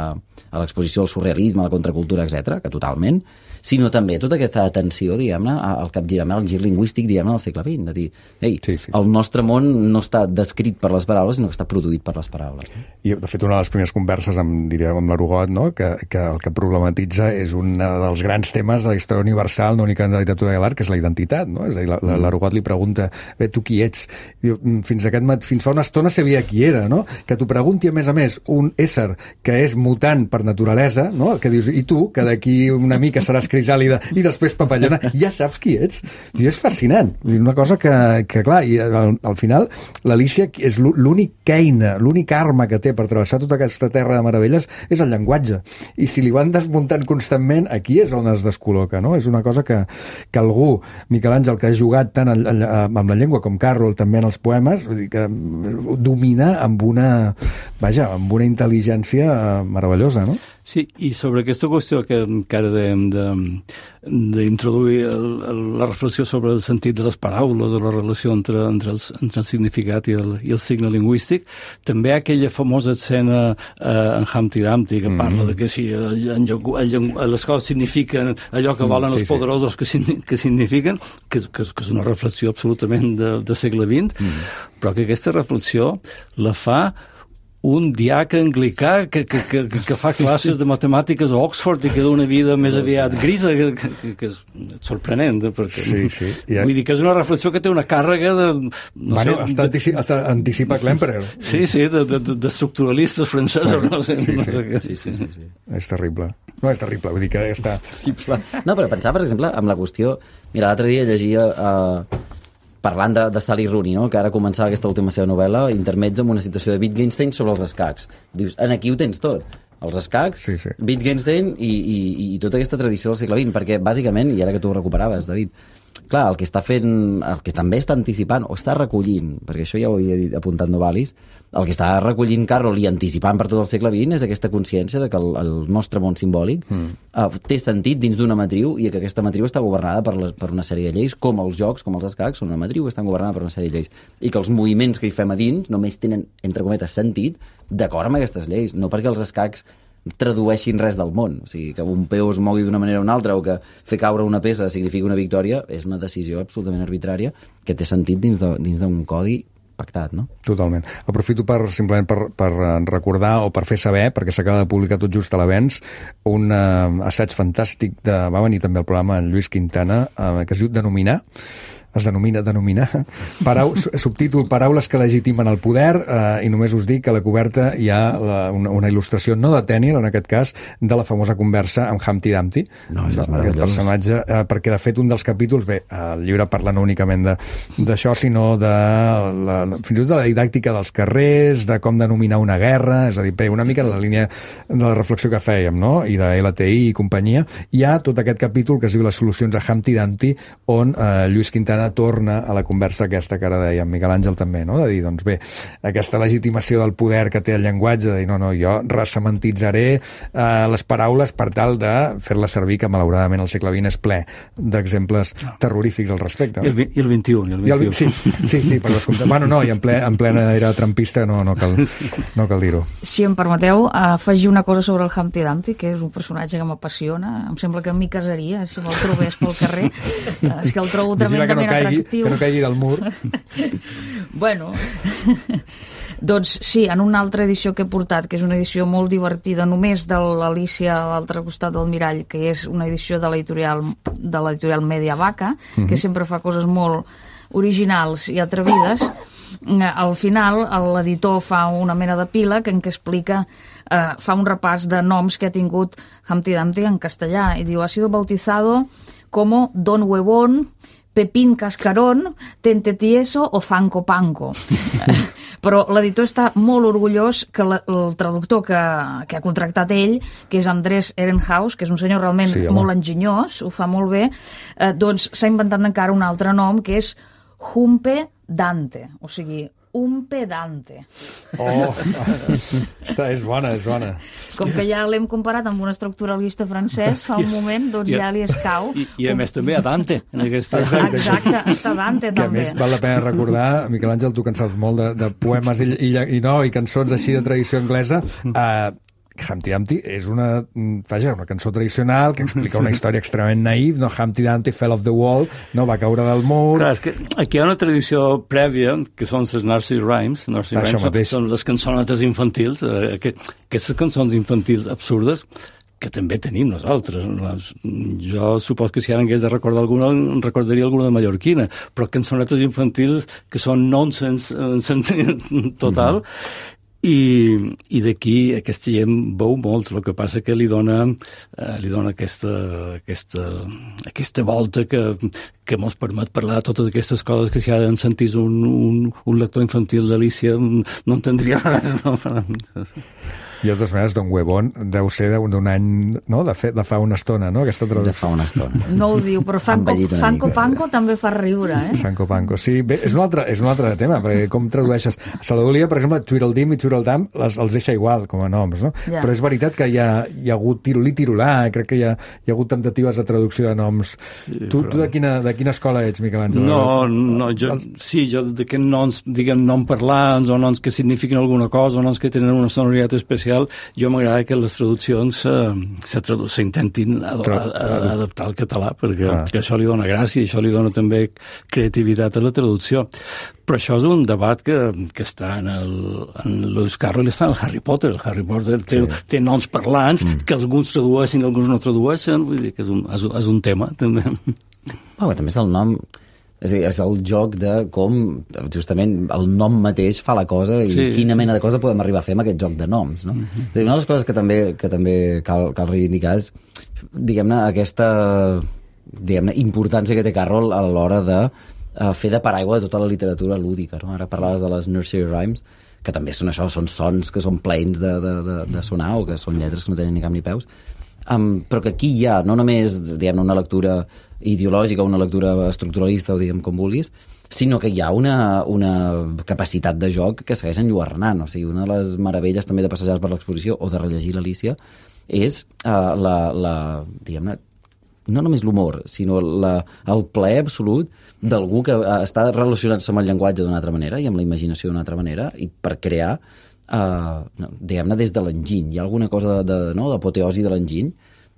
l'exposició al surrealisme, a la contracultura, etc, que totalment, sinó també tota aquesta atenció, diguem-ne, al capgirament, al gir lingüístic, diguem-ne, del segle XX, de dir, ei, el nostre món no està descrit per les paraules, sinó que està produït per les paraules. I, de fet, una de les primeres converses amb l'Arugot, no? que el que problematitza és un dels grans temes de la història universal, no únicament de la literatura i l'art, que és la identitat, no? És a dir, l'Arugot li pregunta, bé, tu qui ets? Diu, fins fa una estona sabia qui era, no? Que t'ho pregunti, a més, un ésser que és mutant per naturalesa, no? Que dius, i tu, que d'aquí una mica seràs crisàlida i després papallona, ja saps qui ets. I és fascinant. Una cosa que clar, i al final l'Alícia és l'única eina, l'única arma que té per travessar tota aquesta terra de meravelles és el llenguatge. I si li van desmuntant constantment, aquí és on es descol·loca, no? És una cosa que algú, Miquel Àngel, que ha jugat tant amb la llengua com Carroll també en els poemes, vull dir que domina amb una intel·ligència meravellosa, no? Sí, i sobre aquesta qüestió que ara dèiem d'introduir la reflexió sobre el sentit de les paraules, de la relació entre el significat i el signe lingüístic, també hi ha aquella famosa escena en Humpty Dumpty que parla de que si les coses signifiquen allò que volen els poderosos que signifiquen, que és una reflexió absolutament de segle XX, però que aquesta reflexió la fa un diaca anglicà que fa classes de matemàtiques a Oxford i que d'una vida més aviat grisa, que és sorprenent, perquè vull dir que és una reflexió que té una càrrega de... anticipa Klemperer. Sí, d'estructuralistes francesos, no sé. Sí. És terrible. No, és terrible, vull dir que està... No, però pensar, per exemple, amb la qüestió... Mira, l'altre dia llegia... parlant de Sally Rooney, no? Que ara començava aquesta última seva novel·la, intermezzo amb una situació de Wittgenstein sobre els escacs. Dius, aquí ho tens tot. Els escacs, Wittgenstein i tota aquesta tradició del segle XX, perquè bàsicament, i ara que tu ho recuperaves, David, clar, el que també està anticipant, o està recollint, perquè això ja ho havia dit apuntant Novalis, el que està recollint Carroll i anticipant per tot el segle XX és aquesta consciència de que el nostre món simbòlic té sentit dins d'una matriu i que aquesta matriu està governada per una sèrie de lleis, com els jocs, com els escacs, són una matriu que estan governada per una sèrie de lleis. I que els moviments que hi fem a dins només tenen, entre cometes, sentit d'acord amb aquestes lleis, no perquè els escacs tradueixin res del món. O sigui, que un peu es mogui d'una manera o una altra o que fer caure una peça signifiqui una victòria és una decisió absolutament arbitrària que té sentit dins d'un codi pactat, no? Totalment. Aprofito simplement per recordar o per fer saber, perquè s'acaba de publicar tot just a l'avenç, un assaig fantàstic va venir també al programa en Lluís Quintana, que es diu Denominar, subtítol Paraules que legitimen el poder, i només us dic que a la coberta hi ha una il·lustració, no de Tenniel, en aquest cas, de la famosa conversa amb Humpty Dumpty, aquest personatge, perquè de fet un dels capítols, el llibre parla no únicament d'això, sinó fins i tot de la didàctica dels carrers, de com denominar una guerra, és a dir, una mica en la línia de la reflexió que fèiem, no? I de LTI i companyia. Hi ha tot aquest capítol que es diu Les solucions a Humpty Dumpty, on Lluís Quintana torna a la conversa aquesta que ara dèiem, Miquel Àngel també, no? De dir, doncs bé, aquesta legitimació del poder que té el llenguatge, de dir, no, jo ressementitzaré les paraules per tal de fer-les servir, que malauradament el segle XX és ple d'exemples terrorífics al respecte. I el XXI. Sí, per descomptat. Bueno, no, i en plena era trumpista no cal dir-ho. Si em permeteu, afegir una cosa sobre el Humpty Dumpty, que és un personatge que m'apassiona. Em sembla que m'hi casaria, si me'l trobés pel carrer. És que el trobo tremendament atractiu. Que no caigui del mur. Bueno, doncs sí, en una altra edició que he portat, que és una edició molt divertida, només de l'Alícia a l'altre costat del mirall, que és una edició de l'editorial Media Vaca, que sempre fa coses molt originals i atrevides. Al final, l'editor fa una mena d'epíleg en què explica, fa un repàs de noms que ha tingut Humpty Dumpty en castellà, i diu, ha sido bautizado como Don Huevón, Pepín Cascarón, Tente Tieso o Zanco Panco. Però l'editor està molt orgullós que el traductor que ha contractat ell, que és Andrés Ehrenhaus, que és un senyor realment molt enginyós, ho fa molt bé, doncs s'ha inventat encara un altre nom, que és Humpe Dante, o sigui, un pedante. Oh, és bona. Com que ja l'hem comparat amb un estructuralista francès, fa un moment, doncs ja li escau. I a més també a Dante. En aquesta... Exacte, està Dante que també. a més val la pena recordar, Miquel Àngel, tu que en saps molt de poemes i cançons així de tradició anglesa, Humpty Dumpty és una cançó tradicional que explica una història extremament naïf, no? Humpty Dumpty fell off the wall, no? Va caure del mur... Clar, és que aquí hi ha una tradició prèvia, que són les nursery rhymes. Nursery rhymes són les cançonetes infantils, aquestes cançons infantils absurdes, que també tenim nosaltres. Jo supos que si ara hagués de recordar alguna, recordaria alguna de mallorquina, però cançonetes infantils que són nonsense en sentit total, i d'aquí aquesta gent veu molt, el que passa que li dona aquesta volta que mos permet parlar de totes aquestes coses que si ara en sentís un lector infantil d'Alícia no entendria res. No? I de totes maneres, Don Huevón deu ser d'un any, no? De fa una estona, no? Aquesta traducció. De fa una estona. No ho diu, però Sanco Panco també fa riure, eh? Sanco Panco, sí. Bé, és un altre tema, perquè com tradueixes... Saladolia, per exemple, Tweedledum i Tweedledum els deixa igual com a noms, no? Ja. Però és veritat que hi ha hagut Tirolí-Tirolà, crec que hi ha hagut temptatives de traducció de noms. Sí, tu de quina escola ets, Miquel Àngel? No, jo d'aquests noms, diguem, nom parlants o noms que signifiquen alguna cosa o noms que tenen una sonoritat especial, jo m'agrada que les traduccions s'intentin adaptar al català, perquè això li dona gràcia i això li dona també creativitat a la traducció. Però això és un debat que està en Lewis Carroll, està en el Harry Potter. El Harry Potter té noms parlants que alguns tradueixen i alguns no tradueixen, vull dir que és un tema, també. També és el nom... És a dir, és el joc de com, justament, el nom mateix fa la cosa i quina mena de cosa podem arribar a fer amb aquest joc de noms, no? Una de les coses que també cal reivindicar és, diguem-ne, aquesta importància que té Carroll a l'hora de fer de paraigua de tota la literatura lúdica, no? Ara parlaves de les nursery rhymes, que també són això, són sons que són plaents de sonar o que són lletres que no tenen ni cap ni peus, però que aquí hi ha no només, diguem-ne, una lectura ideològica, una lectura estructuralista o diguem com vulguis, sinó que hi ha una capacitat de joc que segueix enlluernant. O sigui, una de les meravelles també de passejar per l'exposició o de rellegir l'Alícia és diguem-ne, no només l'humor, sinó el plaer absolut d'algú que està relacionant-se amb el llenguatge d'una altra manera i amb la imaginació d'una altra manera i per crear, diguem-ne, des de l'enginy. Hi ha alguna cosa d'apoteosi de l'enginy.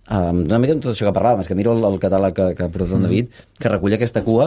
Una mica amb tot això que parlàvem, és que miro el catàleg que ha portat en David, que recull aquesta cua,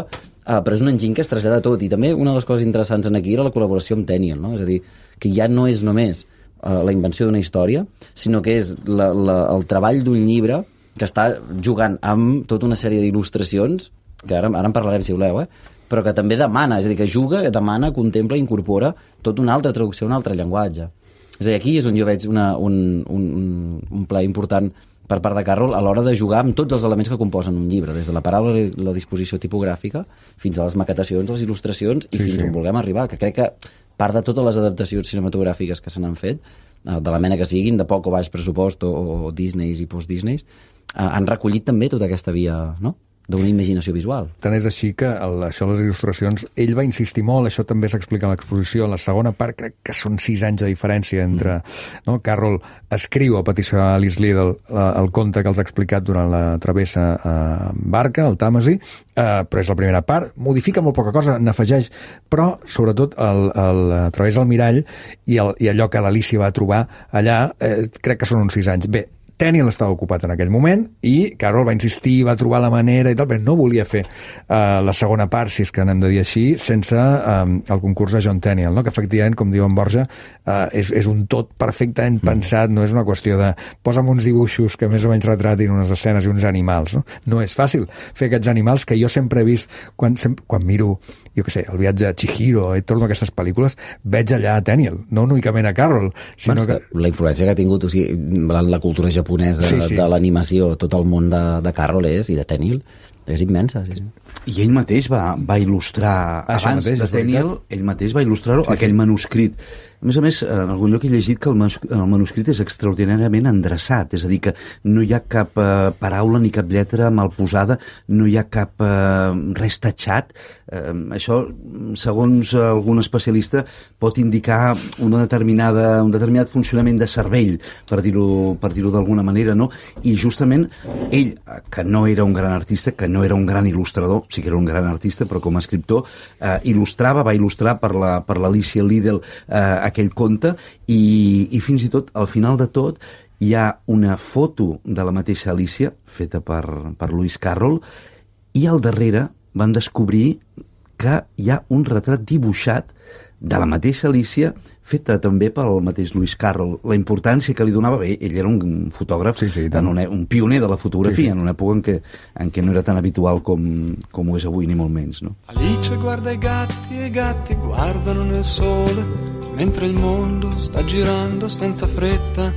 però és un enginy que es trasllada a tot. I també una de les coses interessants aquí era la col·laboració amb Tenniel, no? És a dir, que ja no és només la invenció d'una història, sinó que és el treball d'un llibre que està jugant amb tota una sèrie d'il·lustracions, que ara en parlarem si voleu, però que també demana, és a dir, que juga, demana, contempla i incorpora tota una altra traducció, un altre llenguatge. És a dir, aquí és on jo veig un pla important per part de Carroll a l'hora de jugar amb tots els elements que composen un llibre, des de la paraula i la disposició tipogràfica fins a les maquetacions, les il·lustracions i fins on vulguem arribar, que crec que part de totes les adaptacions cinematogràfiques que se n'han fet, de la mena que siguin, de poc o baix pressupost o Disneys i post-Disneys, han recollit també tota aquesta via, no?, d'una imaginació visual. Tant és així que això, les il·lustracions, ell va insistir molt, això també s'explica a l'exposició, en la segona part crec que són 6 anys de diferència entre... No? Carroll escriu a petició d'Alice Liddell el conte que els ha explicat durant la travessa en barca, el Tàmesi, però és la primera part, modifica molt poca cosa, n'afegeix, però sobretot el Travessa al mirall i allò que l'Alícia va trobar allà, crec que són uns 6 anys. Bé, Tenniel estava ocupat en aquell moment i Carroll va insistir, va trobar la manera i tal, però no volia fer la segona part, si és que n'hem de dir així, sense el concurs de John Tenniel, no? Que efectivament, com diu en Borja, és un tot perfectament pensat, no és una qüestió de posa'm uns dibuixos que més o menys retratin unes escenes i uns animals, no? No és fàcil fer aquests animals que jo sempre he vist quan miro, jo què sé, el viatge a Chihiro i torno a aquestes pel·lícules, veig allà a Tenniel, no únicament a Carroll, sinó que... La influència que ha tingut, o sigui, la cultura japonesa de l'animació, tot el món de Carroll i de Tenniel, és immensa. Sí. I ell mateix va il·lustrar, abans de Tenniel, ell mateix va il·lustrar aquell manuscrit A més, en algun lloc he llegit que el manuscrit és extraordinàriament endreçat, és a dir, que no hi ha cap paraula ni cap lletra mal posada, no hi ha cap res tatxat. Això, segons algun especialista, pot indicar un determinat funcionament de cervell, per dir-ho d'alguna manera, no? I justament ell, que no era un gran artista, que no era un gran il·lustrador, sí que era un gran artista, però com a escriptor va il·lustrar per l'Alicia Liddell aquell conte, i fins i tot, al final de tot, hi ha una foto de la mateixa Alicia, feta per Lewis Carroll, i al darrere van descobrir que hi ha un retrat dibuixat de la mateixa Alicia, feta també pel mateix Lewis Carroll. La importància que li donava, ell era un fotògraf, un pioner de la fotografia, en una època en què no era tan habitual com ho és avui, ni molt menys, no? Alice guarda i gatti guardano nel sole, mentre il mondo sta girando senza fretta.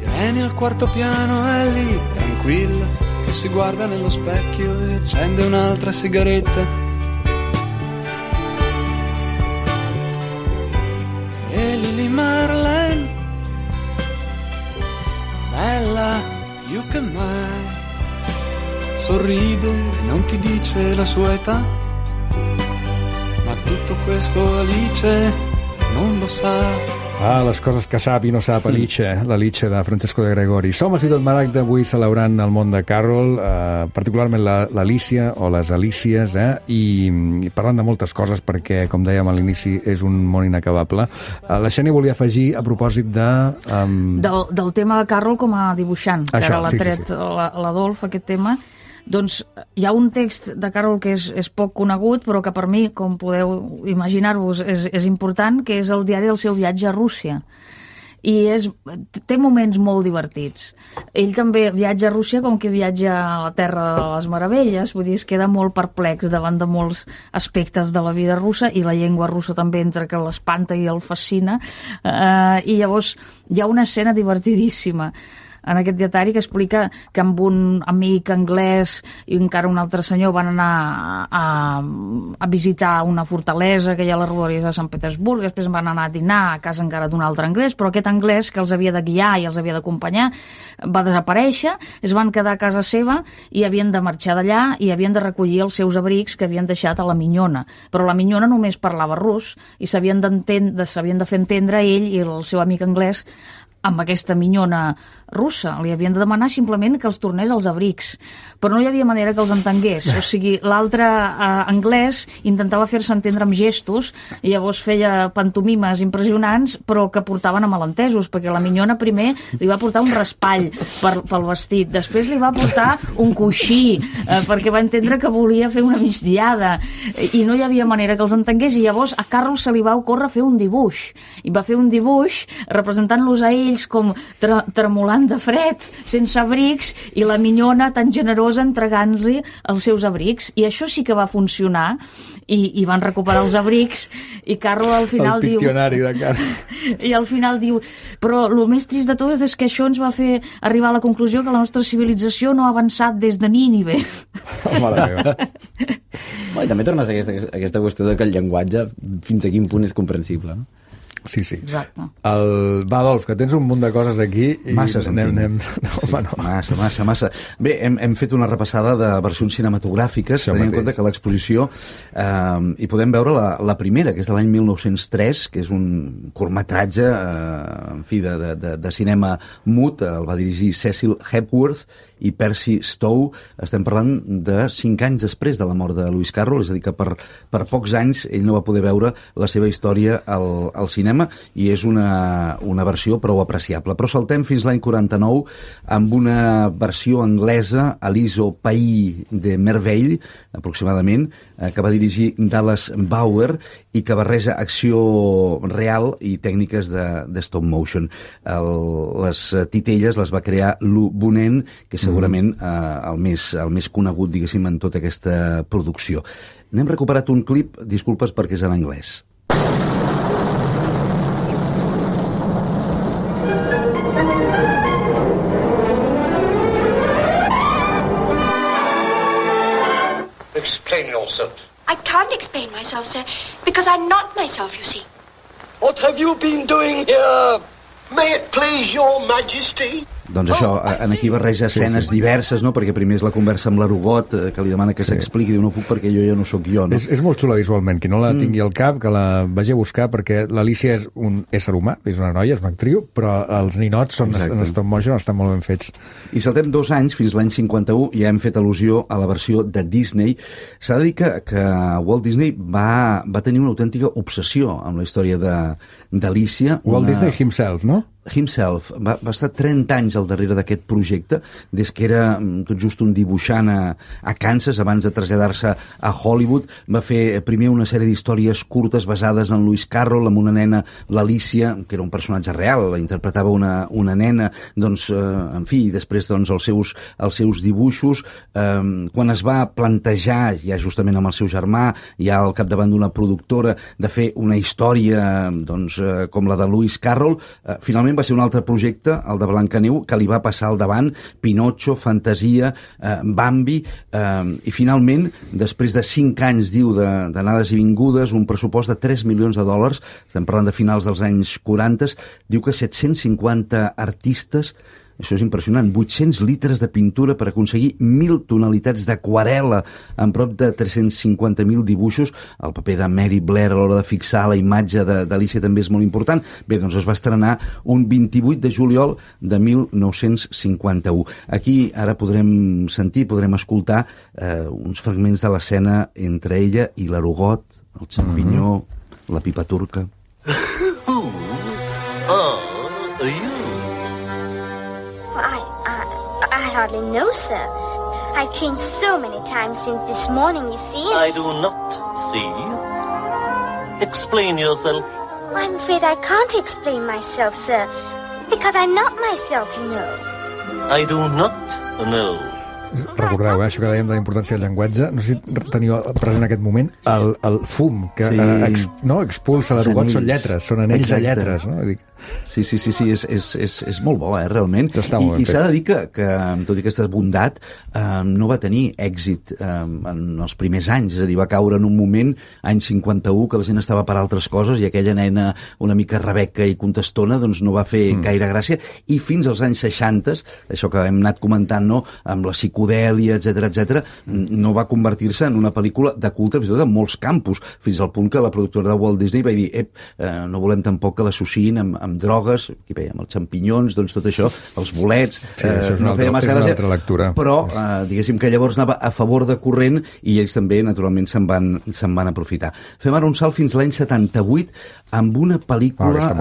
Irene al quarto piano è lì, tranquilla, che si guarda nello specchio e accende un'altra sigaretta. E Lily Marlene, bella più che mai, sorride e non ti dice la sua età, ma tutto questo Alice non lo sa. Les coses que sap i no sap Alice de Francesco de Gregori. Som a Ciutat Maragda avui celebrant el món de Carroll, particularment l'Alicia o les Alícies, i parlant de moltes coses perquè, com dèiem a l'inici, és un món inacabable. La Xènia volia afegir a propòsit del tema de Carroll com a dibuixant, que ara l'ha tret l'Adolf, aquest tema. Doncs hi ha un text de Carroll que és poc conegut, però que per mi, com podeu imaginar-vos, és important, que és el diari del seu viatge a Rússia. I té moments molt divertits. Ell també viatja a Rússia com que viatja a la Terra de les Meravelles, vull dir, es queda molt perplex davant de molts aspectes de la vida russa, i la llengua russa també, entre que l'espanta i el fascina, i llavors hi ha una escena divertidíssima en aquest dietari que explica que amb un amic anglès i encara un altre senyor van anar a visitar una fortalesa que hi ha a les rodalies de Sant Petersburg, després van anar a dinar a casa encara d'un altre anglès, però aquest anglès que els havia de guiar i els havia d'acompanyar va desaparèixer, es van quedar a casa seva i havien de marxar d'allà i havien de recollir els seus abrics que havien deixat a la minyona, però la minyona només parlava rus i s'havien de fer entendre ell i el seu amic anglès amb aquesta minyona russa. Li havien de demanar simplement que els tornés els abrics, però no hi havia manera que els entengués. O sigui, l'altre anglès intentava fer-se entendre amb gestos i llavors feia pantomimes impressionants, però que portaven a malentesos, perquè la minyona primer li va portar un raspall pel vestit, després li va portar un coixí, perquè va entendre que volia fer una migdiada, i no hi havia manera que els entengués, i llavors a Carroll se li va ocórrer fer un dibuix, i va fer un dibuix representant-los a ells com tremolant de fred, sense abrics, i la minyona tan generosa entregant-li els seus abrics, i això sí que va funcionar, i van recuperar els abrics, i Carroll al final diu... El piccionari de Carroll. I al final diu, però el més trist de tot és que això ens va fer arribar a la conclusió que la nostra civilització no ha avançat des de Nínive. Mare meva. I també tornes a aquesta qüestió de que el llenguatge fins a quin punt és comprensible, no? Sí. Exacte. Va, Adolf, que tens un munt de coses aquí. Massa, No. Massa. Bé, hem fet una repassada de versions cinematogràfiques, tenint en compte que l'exposició hi podem veure la primera, que és de l'any 1903, que és un curtmetratge en fi, de cinema mut, el va dirigir Cecil Hepworth i Percy Stowe. Estem parlant de 5 anys després de la mort de Lewis Carroll, és a dir, que per pocs anys ell no va poder veure la seva història al cinema, i és una versió prou apreciable. Però saltem fins l'any 49 amb una versió anglesa, Alice au Pays de Merveille, aproximadament, que va dirigir Dallas Bauer i que barreja acció real i tècniques de stop motion. Les titelles les va crear Lou Bonnell, que segurament el més conegut, diguéssim, en tota aquesta producció. N'hem recuperat un clip, disculpes perquè és en anglès. Explain yourself. I can't explain myself, sir, because I'm not myself, you see. What have you been doing here? May it please your majesty? Doncs això, en aquí barreja escenes diverses, no? Perquè primer és la conversa amb l'Arugot, que li demana que s'expliqui, diu, no puc perquè jo ja no sóc jo, no? És molt xula visualment, qui no la tingui al cap, que la vagi a buscar, perquè l'Alícia és un ésser humà, és una noia, és una actriu, però els ninots són en stop motion, estan molt ben fets. I saltem 2 anys, fins l'any 51, i ja hem fet al·lusió a la versió de Disney. S'ha de dir que Walt Disney va tenir una autèntica obsessió amb la història d'Alícia. Walt Disney himself, no? Himself. Va estar 30 anys al darrere d'aquest projecte, des que era tot just un dibuixant a Kansas, abans de traslladar-se a Hollywood. Va fer primer una sèrie d'històries curtes basades en Lewis Carroll, amb una nena, l'Alícia, que era un personatge real, la interpretava una nena, doncs, en fi, després doncs, els seus dibuixos. Quan es va plantejar, ja justament amb el seu germà, ja al capdavant d'una productora, de fer una història doncs, com la de Lewis Carroll, finalment va ser un altre projecte, el de Blancaneu, que li va passar al davant, Pinotxo, Fantasia, Bambi, i finalment, després de 5 anys, diu, d'anades i vingudes, un pressupost de $3 milions, estem parlant de finals dels anys 40, diu que 750 artistes, això és impressionant, 800 litres de pintura per aconseguir 1.000 tonalitats d'aquarel·la amb prop de 350.000 dibuixos. El paper de Mary Blair a l'hora de fixar la imatge d'Alícia també és molt important. Bé, doncs es va estrenar un 28 de juliol de 1951. Aquí ara podrem escoltar uns fragments de l'escena entre ella i l'Arugot, el xampinyó, la pipa turca. I hardly know, sir. I've changed so many times since this morning, you see. I do not see. Explain yourself. I'm afraid I can't explain myself, sir, because I'm not myself, you know. I do not know. Recordeu, això que dèiem de la importància del llenguatge, no sé si teniu present en aquest moment el fum que expulsa l'Arugot, són lletres, són anells de lletres, no? Sí, és molt bo, realment. I s'ha de dir que, tot i aquesta bondat, no va tenir èxit en els primers anys, és a dir, va caure en un moment, any 51, que la gent estava per altres coses i aquella nena una mica rebeca i contestona doncs no va fer gaire gràcia, i fins als anys 60, això que hem anat comentant, no?, amb la psicodèlia, etc, no va convertir-se en una pel·lícula de culte, fins i tot en molts campus, fins al punt que la productora de Walt Disney va dir, no volem tampoc que l'associïn amb drogues, aquí veiem els xampinyons, doncs tot això, els bolets, no feia massa gràcia, però diguéssim que llavors anava a favor de corrent i ells també, naturalment, se'n van aprofitar. Fem ara un salt fins l'any 78 amb una pel·lícula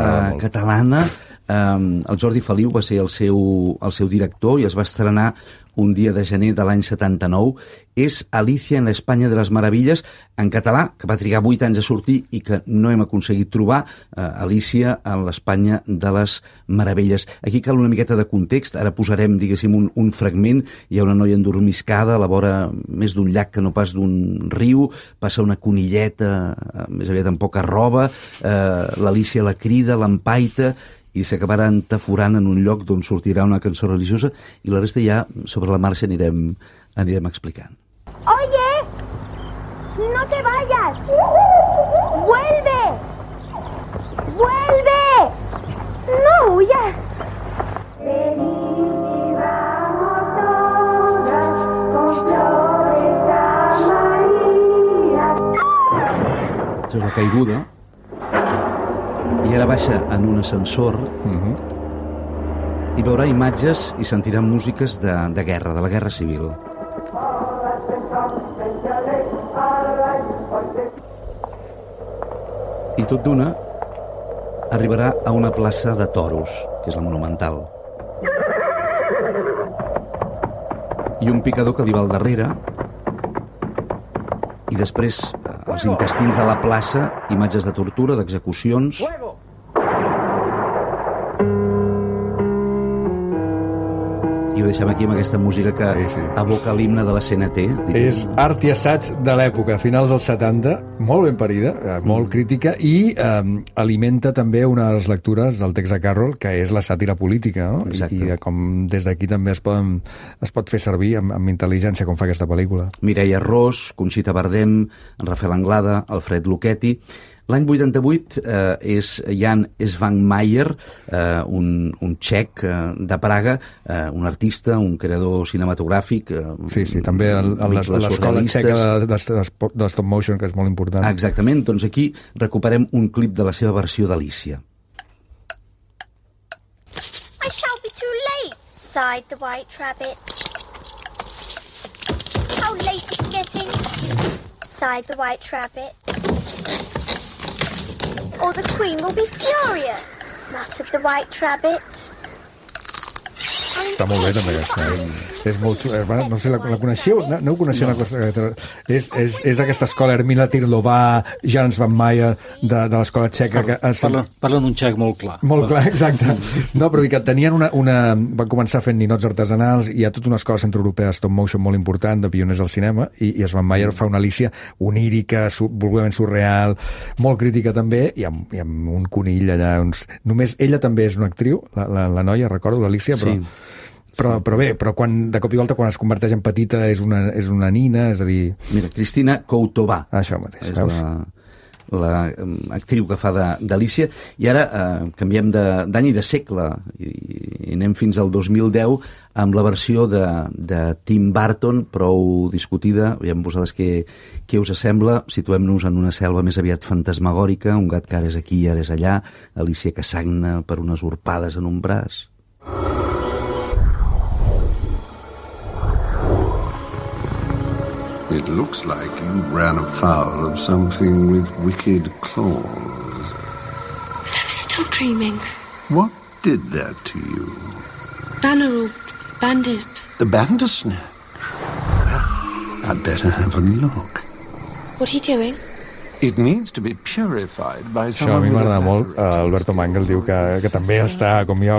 catalana. El Jordi Feliu va ser el seu director i es va estrenar un dia de gener de l'any 79. És Alicia en la España de las Maravillas, en català, que va trigar 8 anys a sortir i que no hem aconseguit trobar. Alicia en l'Espanya de les Meravelles. Aquí cal una miqueta de context. Ara posarem, diguéssim, un fragment. Hi ha una noia endormiscada a la vora més d'un llac que no pas d'un riu. Passa una conilleta, més aviat amb poca roba. L'Alicia la crida, l'empaita, i s'acabarà entaforant en un lloc d'on sortirà una cançó religiosa, i la resta ja, sobre la marxa, anirem explicant. Oye, no te vayas. Vuelve. Vuelve. No huyas. Això és la caiguda. I ara baixa en un ascensor i veurà imatges i sentirà músiques de guerra, de la guerra civil. I tot d'una arribarà a una plaça de toros, que és la Monumental. I un picador que li va al darrere, i després els intestins de la plaça, imatges de tortura, d'execucions. I ho deixem aquí amb aquesta música que evoca l'himne de la CNT. És art i assaig de l'època, finals dels 70, molt ben parida, molt crítica, i alimenta també una de les lectures del text de Carroll, que és la sàtira política, no? I com des d'aquí també es pot fer servir amb intel·ligència, com fa aquesta pel·lícula. Mireia Ros, Conxita Bardem, Rafael Anglada, Alfred Lucchetti. L'any 88 és Jan Svankmajer, un txec de Praga, un artista, un creador cinematogràfic. Sí, també l'escola txeca de stop motion, que és molt important. Exactament, doncs aquí recuperem un clip de la seva versió d'Alícia. I shall be too late, sighed the White Rabbit. How late it's getting, sighed the White Rabbit. Or the Queen will be furious, muttered the White Rabbit. Està molt bé també aquesta. És molt xulo. No sé, la coneixeu? No ho coneixeu? És d'aquesta escola Ermina Tirlovà, Jan Svankmajer, de l'escola txeca. Parlen un txec molt clar. Molt clar, exacte. No, però que tenien van començar fent ninots artesanals, i hi ha tota una escola centroeuropea de stop motion molt important, de pioners al cinema, i Svankmajer fa una Alícia onírica, volgudament surreal, molt crítica també, i amb un conill allà. Només ella també és una actriu, la noia, recordo, l'Alícia, però bé, quan de cop i volta quan es converteix en petita és una nina, és a dir... Mira, Cristina Coutovà. Això mateix, veus? És l'actriu que fa d'Alícia. I ara canviem d'any i de segle i anem fins al 2010 amb la versió de Tim Burton, prou discutida. Veiem vosaltres què us sembla. Situem-nos en una selva més aviat fantasmagòrica, un gat que ara és aquí i ara és allà, Alícia que sagna per unes urpades en un braç. It looks like you ran afoul of something with wicked claws. I'm still dreaming. What did that to you? Banner or bandit? The Bandersnatch? Well, I'd better have a look. What are you doing? It needs to be purified by Això a mi m'agrada molt. Alberto Mangel diu que també està, com jo,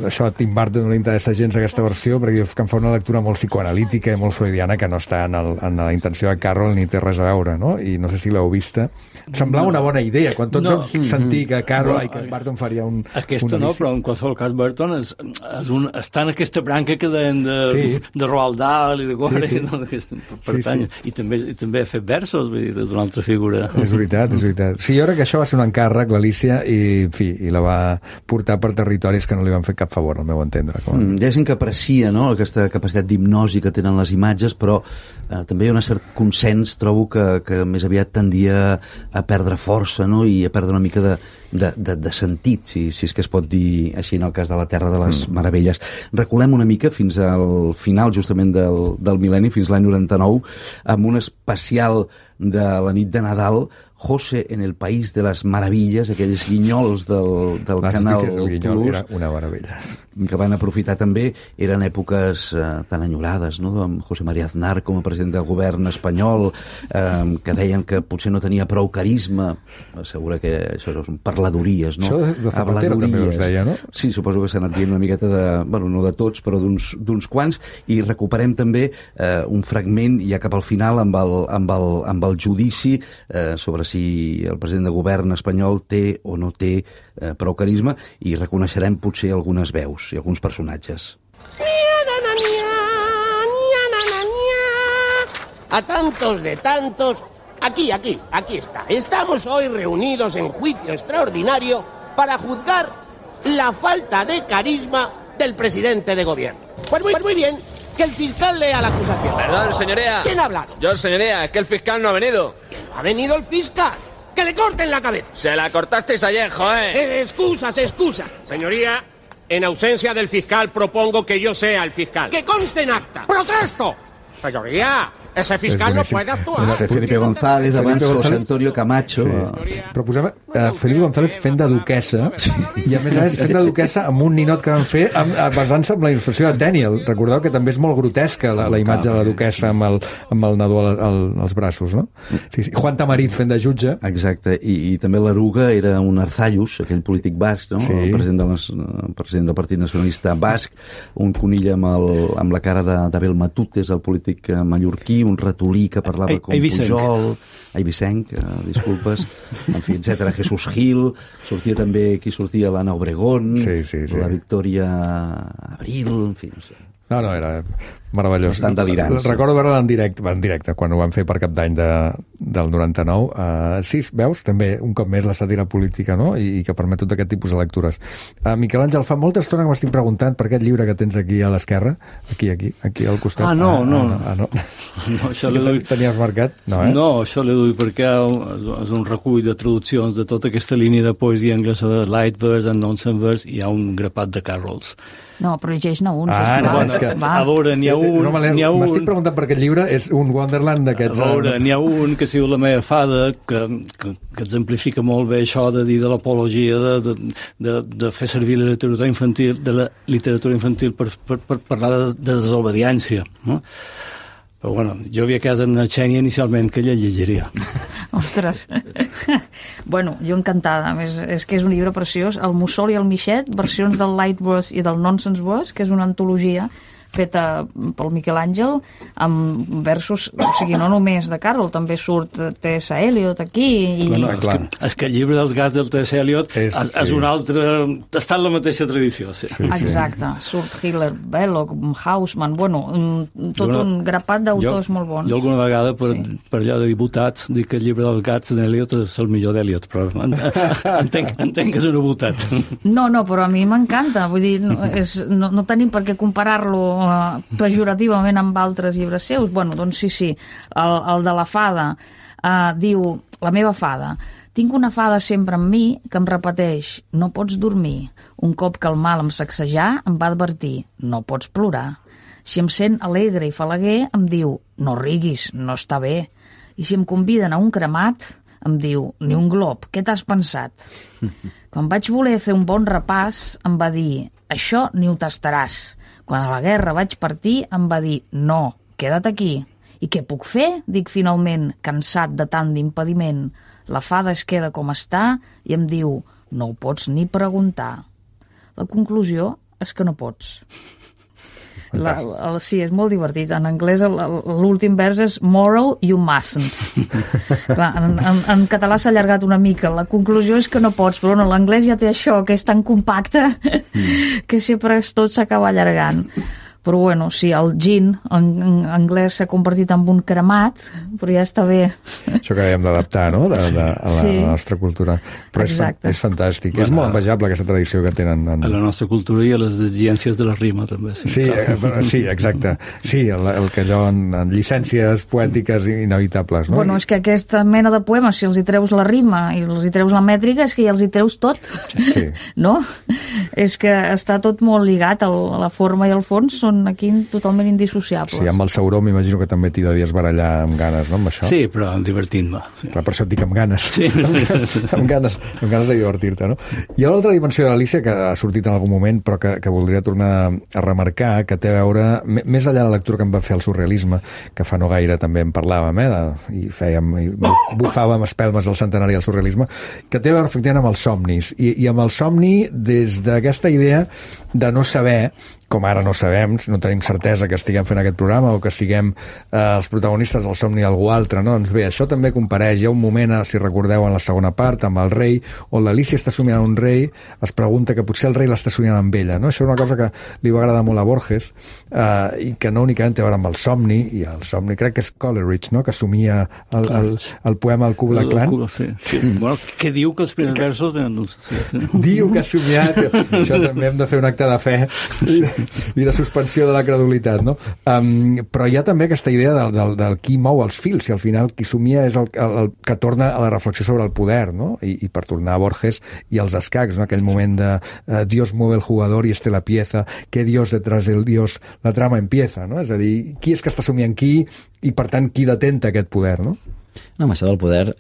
això a Tim Burton no li interessa gens aquesta versió, perquè diu que em fa una lectura molt psicoanalítica i molt freudiana que no està en la intenció de Carroll ni té res a veure, no? I no sé si l'heu vista. Semblava una bona idea, quan tots vam sentir que Carroll i que Burton faria un... Aquesta no, però en qualsevol cas Burton està en aquesta branca que deien de Roald Dahl i de Gore, pertany. I també ha fet versos, vull dir, d'una altra figura. És veritat. Sí, jo crec que això va ser un encàrrec, l'Alícia, i la va portar per territoris que no li van fer cap favor, al meu entendre. Hi ha gent que aprecia, no?, aquesta capacitat d'hipnosi que tenen les imatges, però també hi ha un cert consens, trobo, que més aviat tendia a perdre força, no?, i a perdre una mica de sentit, si és que es pot dir així en el cas de la Terra de les Meravelles. Reculem una mica fins al final justament del mil·lenni, fins l'any 99, amb un especial de la nit de Nadal, José en el País de les Meravilles, aquells guinyols del Canal Plus, era una meravella, que van aprofitar també, eren èpoques tan enyorades, no?, amb José María Aznar com a president del govern espanyol, que deien que potser no tenia prou carisma. Assegura que això són parladories, no? Això de Zapatero també us deia, no? Sí, suposo que s'ha anat dient una miqueta de... Bueno, no de tots, però d'uns quants, i recuperem també un fragment ja cap al final amb el judici sobre si el president de govern espanyol té o no té prou carisma, i reconeixerem potser algunes veus i alguns personatges. A tantos de tantos, aquí está. Estamos hoy reunidos en juicio extraordinario para juzgar la falta de carisma del presidente de gobierno. Pues muy bien, que el fiscal lea la acusación. Perdón, señoría. ¿Quién ha hablado? Yo, señoría, es que el fiscal no ha venido. ¿Que no ha venido el fiscal? ¡Que le corten la cabeza! Se la cortasteis ayer, joder. Excusas. Señoría, en ausencia del fiscal propongo que yo sea el fiscal. ¡Que conste en acta! ¡Protesto! Señoría, Ese fiscal no puede actuar. Felipe González, abans José Antonio Camacho. Sí. Però posem Felipe González fent de duquessa, i a més a més fent de duquessa amb un ninot que van fer basant-se en la il·lustració de Daniel. Recordeu que també és molt grotesca la imatge de la duquessa amb el nadó als braços, no? Sí. Juan Tamariz fent de jutge. Exacte, i també l'Eruga era un Arzallus, aquell polític basc, no? Sí. El president del Partit Nacionalista Basc, un conill amb la cara d'Abel Matutes, el polític mallorquí, un ratolí que parlava com Pujol, Eivicenc, disculpes, en fi, etc. Jesús Gil, sortia també, qui sortia, l'Anna Obregón, la Victòria Abril, en fi, no sé. No, era meravellós. Bastant delirant. Recordo veure-la en directe, quan ho van fer per Cap d'Any del 99. Sí, veus? També, un cop més, la sàtira política, no? I que permet tot aquest tipus de lectures. Miquel Àngel, fa molta estona que m'estic preguntant per aquest llibre que tens aquí a l'esquerra, aquí al costat. No. No, això l'he tenies marcat? No, això l'he duit perquè és un recull de traduccions de tota aquesta línia de poesia anglesa de light verse and nonsense verse, i hi ha un grapat de Carrolls. No, però llegeix-ne un. A veure, n'hi ha un... M'estic preguntant per aquest llibre, és un Wonderland d'aquests... A veure, n'hi ha un que es diu La meva fada, que exemplifica molt bé això de dir de l'apologia, de fer servir la literatura infantil per parlar de desobediència, no? Però bueno, jo havia quedat en una Xènia inicialment que ella llegiria. Ostres. Bueno, jo encantada. A més, és que és un llibre preciós. El Mussol i el Mixet, versions del Light Verse i del Nonsense Verse, que és una antologia feta pel Miquel Àngel amb versos, o sigui, no només de Carroll, també surt T.S. Eliot aquí. És que el llibre dels gats del T.S. Eliot és un altre... està en la mateixa tradició. Sí. Exacte. Surt Hitler, Belloc, Hausmann, bueno, tot un grapat d'autors molt bons. Jo alguna vegada, per allò de diputats, dic que el llibre dels gats d'Eliot és el millor d'Eliot, però entenc que és una botat. No, però a mi m'encanta. Vull dir, no tenim per què comparar-lo pejorativament amb altres llibres seus. Bueno, doncs sí, el de la fada diu, la meva fada, tinc una fada sempre amb mi que em repeteix, no pots dormir. Un cop que el mal em sacsejà, em va advertir, no pots plorar. Si em sent alegre i falaguer, em diu, no riguis, no està bé. I si em conviden a un cremat, em diu, ni un glob, què t'has pensat? Quan vaig voler fer un bon repàs, em va dir, això ni ho tastaràs. Quan a la guerra vaig partir, em va dir, no, queda't aquí. I què puc fer? Dic finalment, cansat de tant d'impediment. La fada es queda com està i em diu, no ho pots ni preguntar. La conclusió és que no pots. Sí, és molt divertit. En anglès l'últim vers és moral, you mustn't. Clar, en català s'ha allargat una mica. La conclusió és que no pots, però bueno, l'anglès ja té això, que és tan compacte que sempre tot s'acaba allargant. Però bueno, sí, el gin en anglès s'ha convertit en un cremat, però ja està bé. Això que hem d'adaptar, no?, a la nostra cultura. Però és fantàstic. És molt envejable aquesta tradició que tenen. A la nostra cultura i a les exigències de la rima, també. Sí, exacte. Sí, el que allò en llicències poètiques inevitables, no? Bueno, és que aquesta mena de poemes, si els hi treus la rima i els hi treus la mètrica, és que ja els hi treus tot. Sí. No? És que està tot molt lligat, la forma i el fons són aquí totalment indissociables. Sí, amb el Sauró m'imagino que també t'hi devies barallar amb ganes, no, amb això? Sí, però divertint-me. Sí. Clar, per això et dic amb ganes. Sí. amb ganes de divertir-te, no? Hi ha l'altra dimensió de l'Alícia que ha sortit en algun moment, però que voldria tornar a remarcar, que té a veure, més enllà de la lectura que em va fer el surrealisme, que fa no gaire també en parlàvem, i bufàvem espelmes del centenari del surrealisme, que té a veure efectivament amb els somnis, i amb el somni des d'aquesta idea de no saber, com ara no sabem, no tenim certesa que estiguem fent aquest programa o que siguem els protagonistes del somni d'algú altre, no? Doncs bé, això també compareix. Hi ha un moment, si recordeu, en la segona part, amb el rei, on l'Alícia està somiant un rei, es pregunta que potser el rei l'està somiant amb ella, no? Això és una cosa que li va agradar molt a Borges, i que no únicament té a veure amb el somni, i el somni crec que és Coleridge, no?, que somia el poema El Ku Klux Klan. Sí. Bueno, què diu que els primers versos... Diu que ha somiat. Això també hem de fer un acte de fe. i de suspensió de la credulitat, no? Però hi ha també aquesta idea del qui mou els fils, i al final qui somia és el que torna a la reflexió sobre el poder, no? I per tornar a Borges i als escacs, no? Aquell moment de Dios mueve el jugador y este la pieza, que Dios detrás del Dios la trama empieza, no? És a dir, qui és que està somiant qui i, per tant, qui detenta aquest poder, no? No, amb això del poder,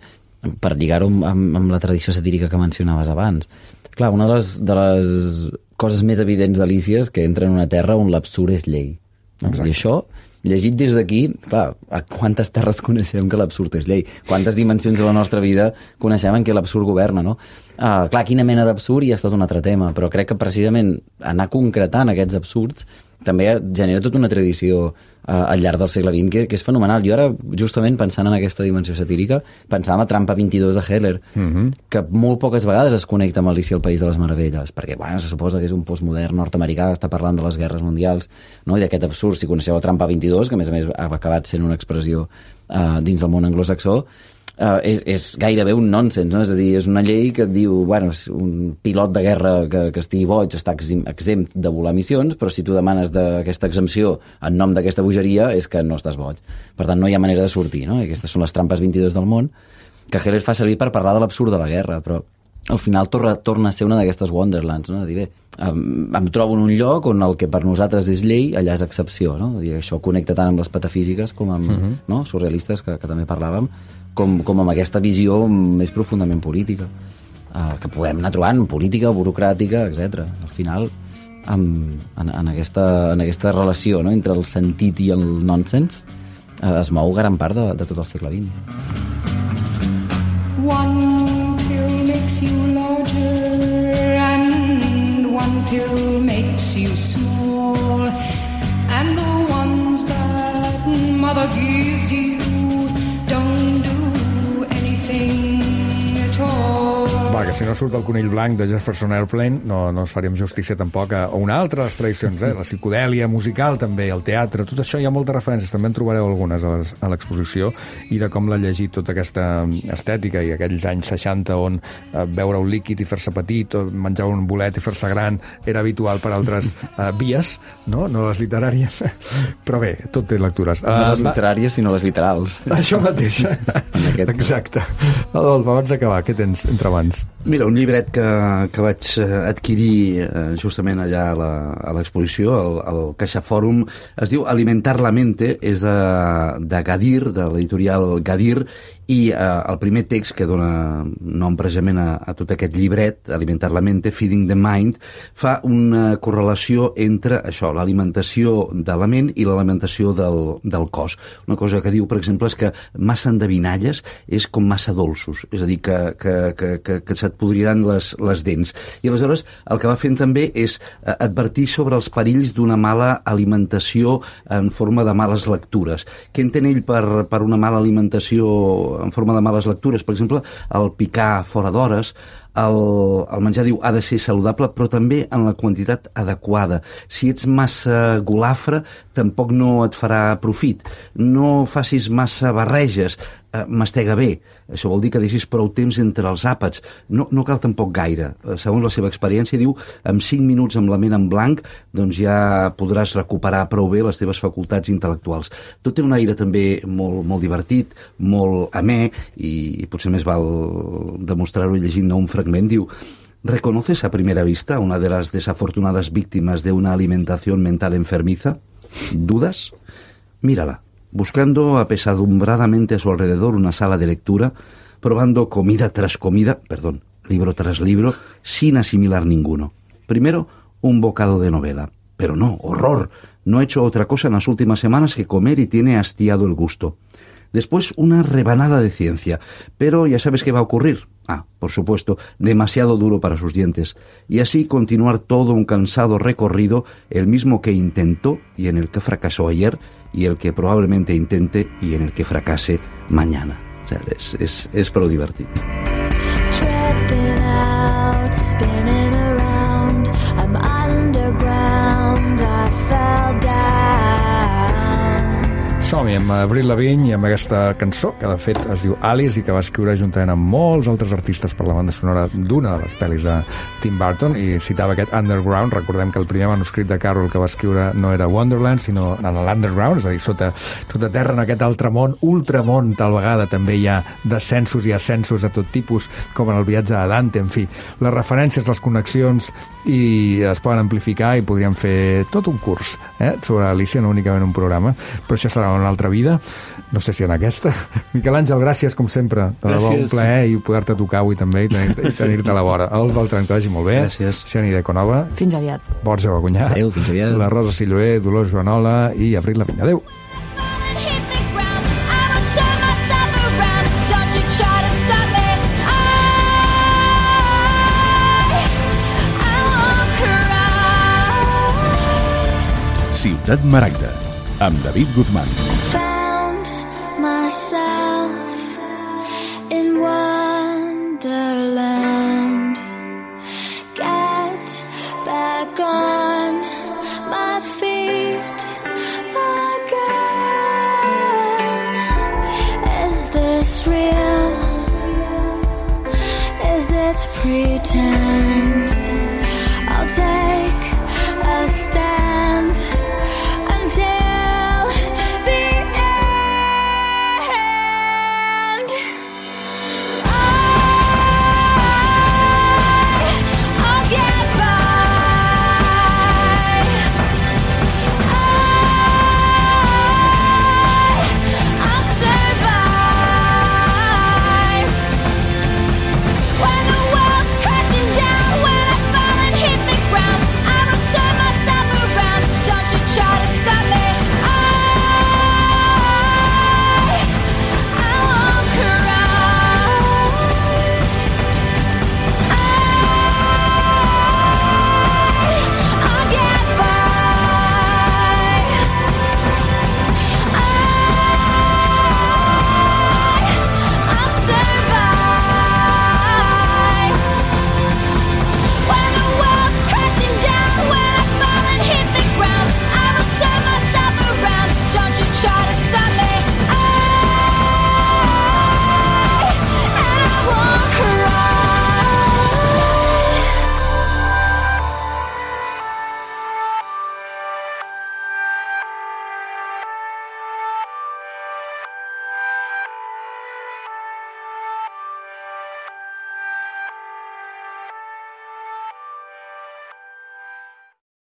per lligar-ho amb la tradició satírica que mencionaves abans. Clar, una de les coses més evidents d'Alícia és que entra en una terra on l'absurd és llei. No? I això, llegit des d'aquí, clar, a quantes terres coneixem que l'absurd és llei? Quantes dimensions de la nostra vida coneixem en què l'absurd governa, no? Clar, quina mena d'absurd ja és tot un altre tema, però crec que precisament anar concretant aquests absurds també genera tota una tradició al llarg del segle XX que és fenomenal. Jo ara, justament pensant en aquesta dimensió satírica, pensàvem a Trampa 22 de Heller, que molt poques vegades es connecta amb Alícia al País de les Meravelles, perquè, bueno, se suposa que és un postmodern nord-americà que està parlant de les guerres mundials, no? I d'aquest absurd. Si coneixeu la Trampa 22, que a més ha acabat sent una expressió dins del món anglosaxó, és gairebé un nonsens, no? És a dir, és una llei que et diu, bueno, un pilot de guerra que estigui boig està exempt de volar missions, però si tu demanes aquesta exempció en nom d'aquesta bogeria és que no estàs boig. Per tant, no hi ha manera de sortir, no? I aquestes són les trampes 22 del món, que Heller fa servir per parlar de l'absurd de la guerra, però al final torna a ser una d'aquestes Wonderlands, no? De dir, bé, em trobo en un lloc on el que per nosaltres és llei, allà és excepció, no? I això connecta tant amb les patafísiques com amb no? Surrealistes, que també parlàvem, com amb aquesta visió més profundament política, que podem anar trobant, política, burocràtica, etc. Al final, en aquesta relació, no? Entre el sentit i el nonsens, es mou gran part de tot el segle XX. One pill makes you larger and one pill makes you small, and the ones that mother gives you don't do anything at all. Va, que si no surt el conill blanc de Jefferson Airplane no ens faríem justícia tampoc a una altra de les tradicions, la psicodèlia musical també, el teatre, tot això hi ha moltes referències, també en trobareu algunes a l'exposició, i de com l'ha llegit tota aquesta estètica, i aquells anys 60 on beure un líquid i fer-se petit, o menjar un bolet i fer-se gran era habitual per altres vies, no les literàries, però bé, tot té lectures. No les literàries, sinó les literals. Això mateix. Exacte. Adolf, abans d'acabar, què tens entre mans? Mira, un llibret que vaig adquirir justament allà a l'exposició, al CaixaFòrum, es diu Alimentar la mente, és de Gadir, de l'editorial Gadir, i el primer text que dona nom precisament a tot aquest llibret, Alimentar la mente, Feeding the Mind, fa una correlació entre això, l'alimentació de la ment i l'alimentació del cos. Una cosa que diu, per exemple, és que massa endevinalles és com massa dolços, és a dir, que se't podriran les dents. I aleshores el que va fent també és advertir sobre els perills d'una mala alimentació en forma de males lectures. Què entén ell per una mala alimentació en forma de males lectures? Per exemple, el picar fora d'hores, el menjar, diu, ha de ser saludable, però també en la quantitat adequada. Si ets massa golafre, tampoc no et farà profit. No facis massa barreges, mastega bé. Això vol dir que deixis prou temps entre els àpats. No cal tampoc gaire. Segons la seva experiència, diu, amb 5 minuts amb la ment en blanc, doncs ja podràs recuperar prou bé les teves facultats intel·lectuals. Tot té un aire també molt divertit, molt amè, i potser més val demostrar-ho llegint un fragment. Diu: ¿reconoces a primera vista una de las desafortunadas víctimas de una alimentación mental enfermiza? ¿Dudas? Mírala, buscando apesadumbradamente a su alrededor una sala de lectura, probando comida tras comida, libro tras libro, sin asimilar ninguno. Primero, un bocado de novela. Pero no, horror, no he hecho otra cosa en las últimas semanas que comer y tiene hastiado el gusto. Después, una rebanada de ciencia. Pero ya sabes qué va a ocurrir. Por supuesto, demasiado duro para sus dientes. Y así continuar todo un cansado recorrido, el mismo que intentó y en el que fracasó ayer, y el que probablement intente i en el que fracase mañana. O sigui, és prou divertit. Som-hi amb Avril Lavigne i amb aquesta cançó que de fet es diu Alice i que va escriure juntament amb molts altres artistes per la banda sonora d'una de les pel·lis de Tim Burton, i citava aquest Underground. Recordem que el primer manuscrit de Carroll que va escriure no era Wonderland, sinó en l'Underground, és a dir, sota terra, en aquest altre món, ultramón. Tal vegada també hi ha descensos i ascensos de tot tipus, com en el viatge a Dante. En fi, les referències, les connexions i es poden amplificar i podríem fer tot un curs sobre Alicia, no únicament un programa, però això serà una altra vida, no sé si en aquesta. Miquel Àngel, gràcies com sempre, de debò un plaer i poder-te tocar avui també i tenir-te a la vora. Els Beltran, que vagi molt bé. Gràcies. Siani de Conova. Fins aviat. Borja Bagunyà. Adéu, fins aviat. La Rosa Silloé, Dolors Joanola i Avril Lavigne. Adéu. Ciutat Maragda, amb David Guzmán.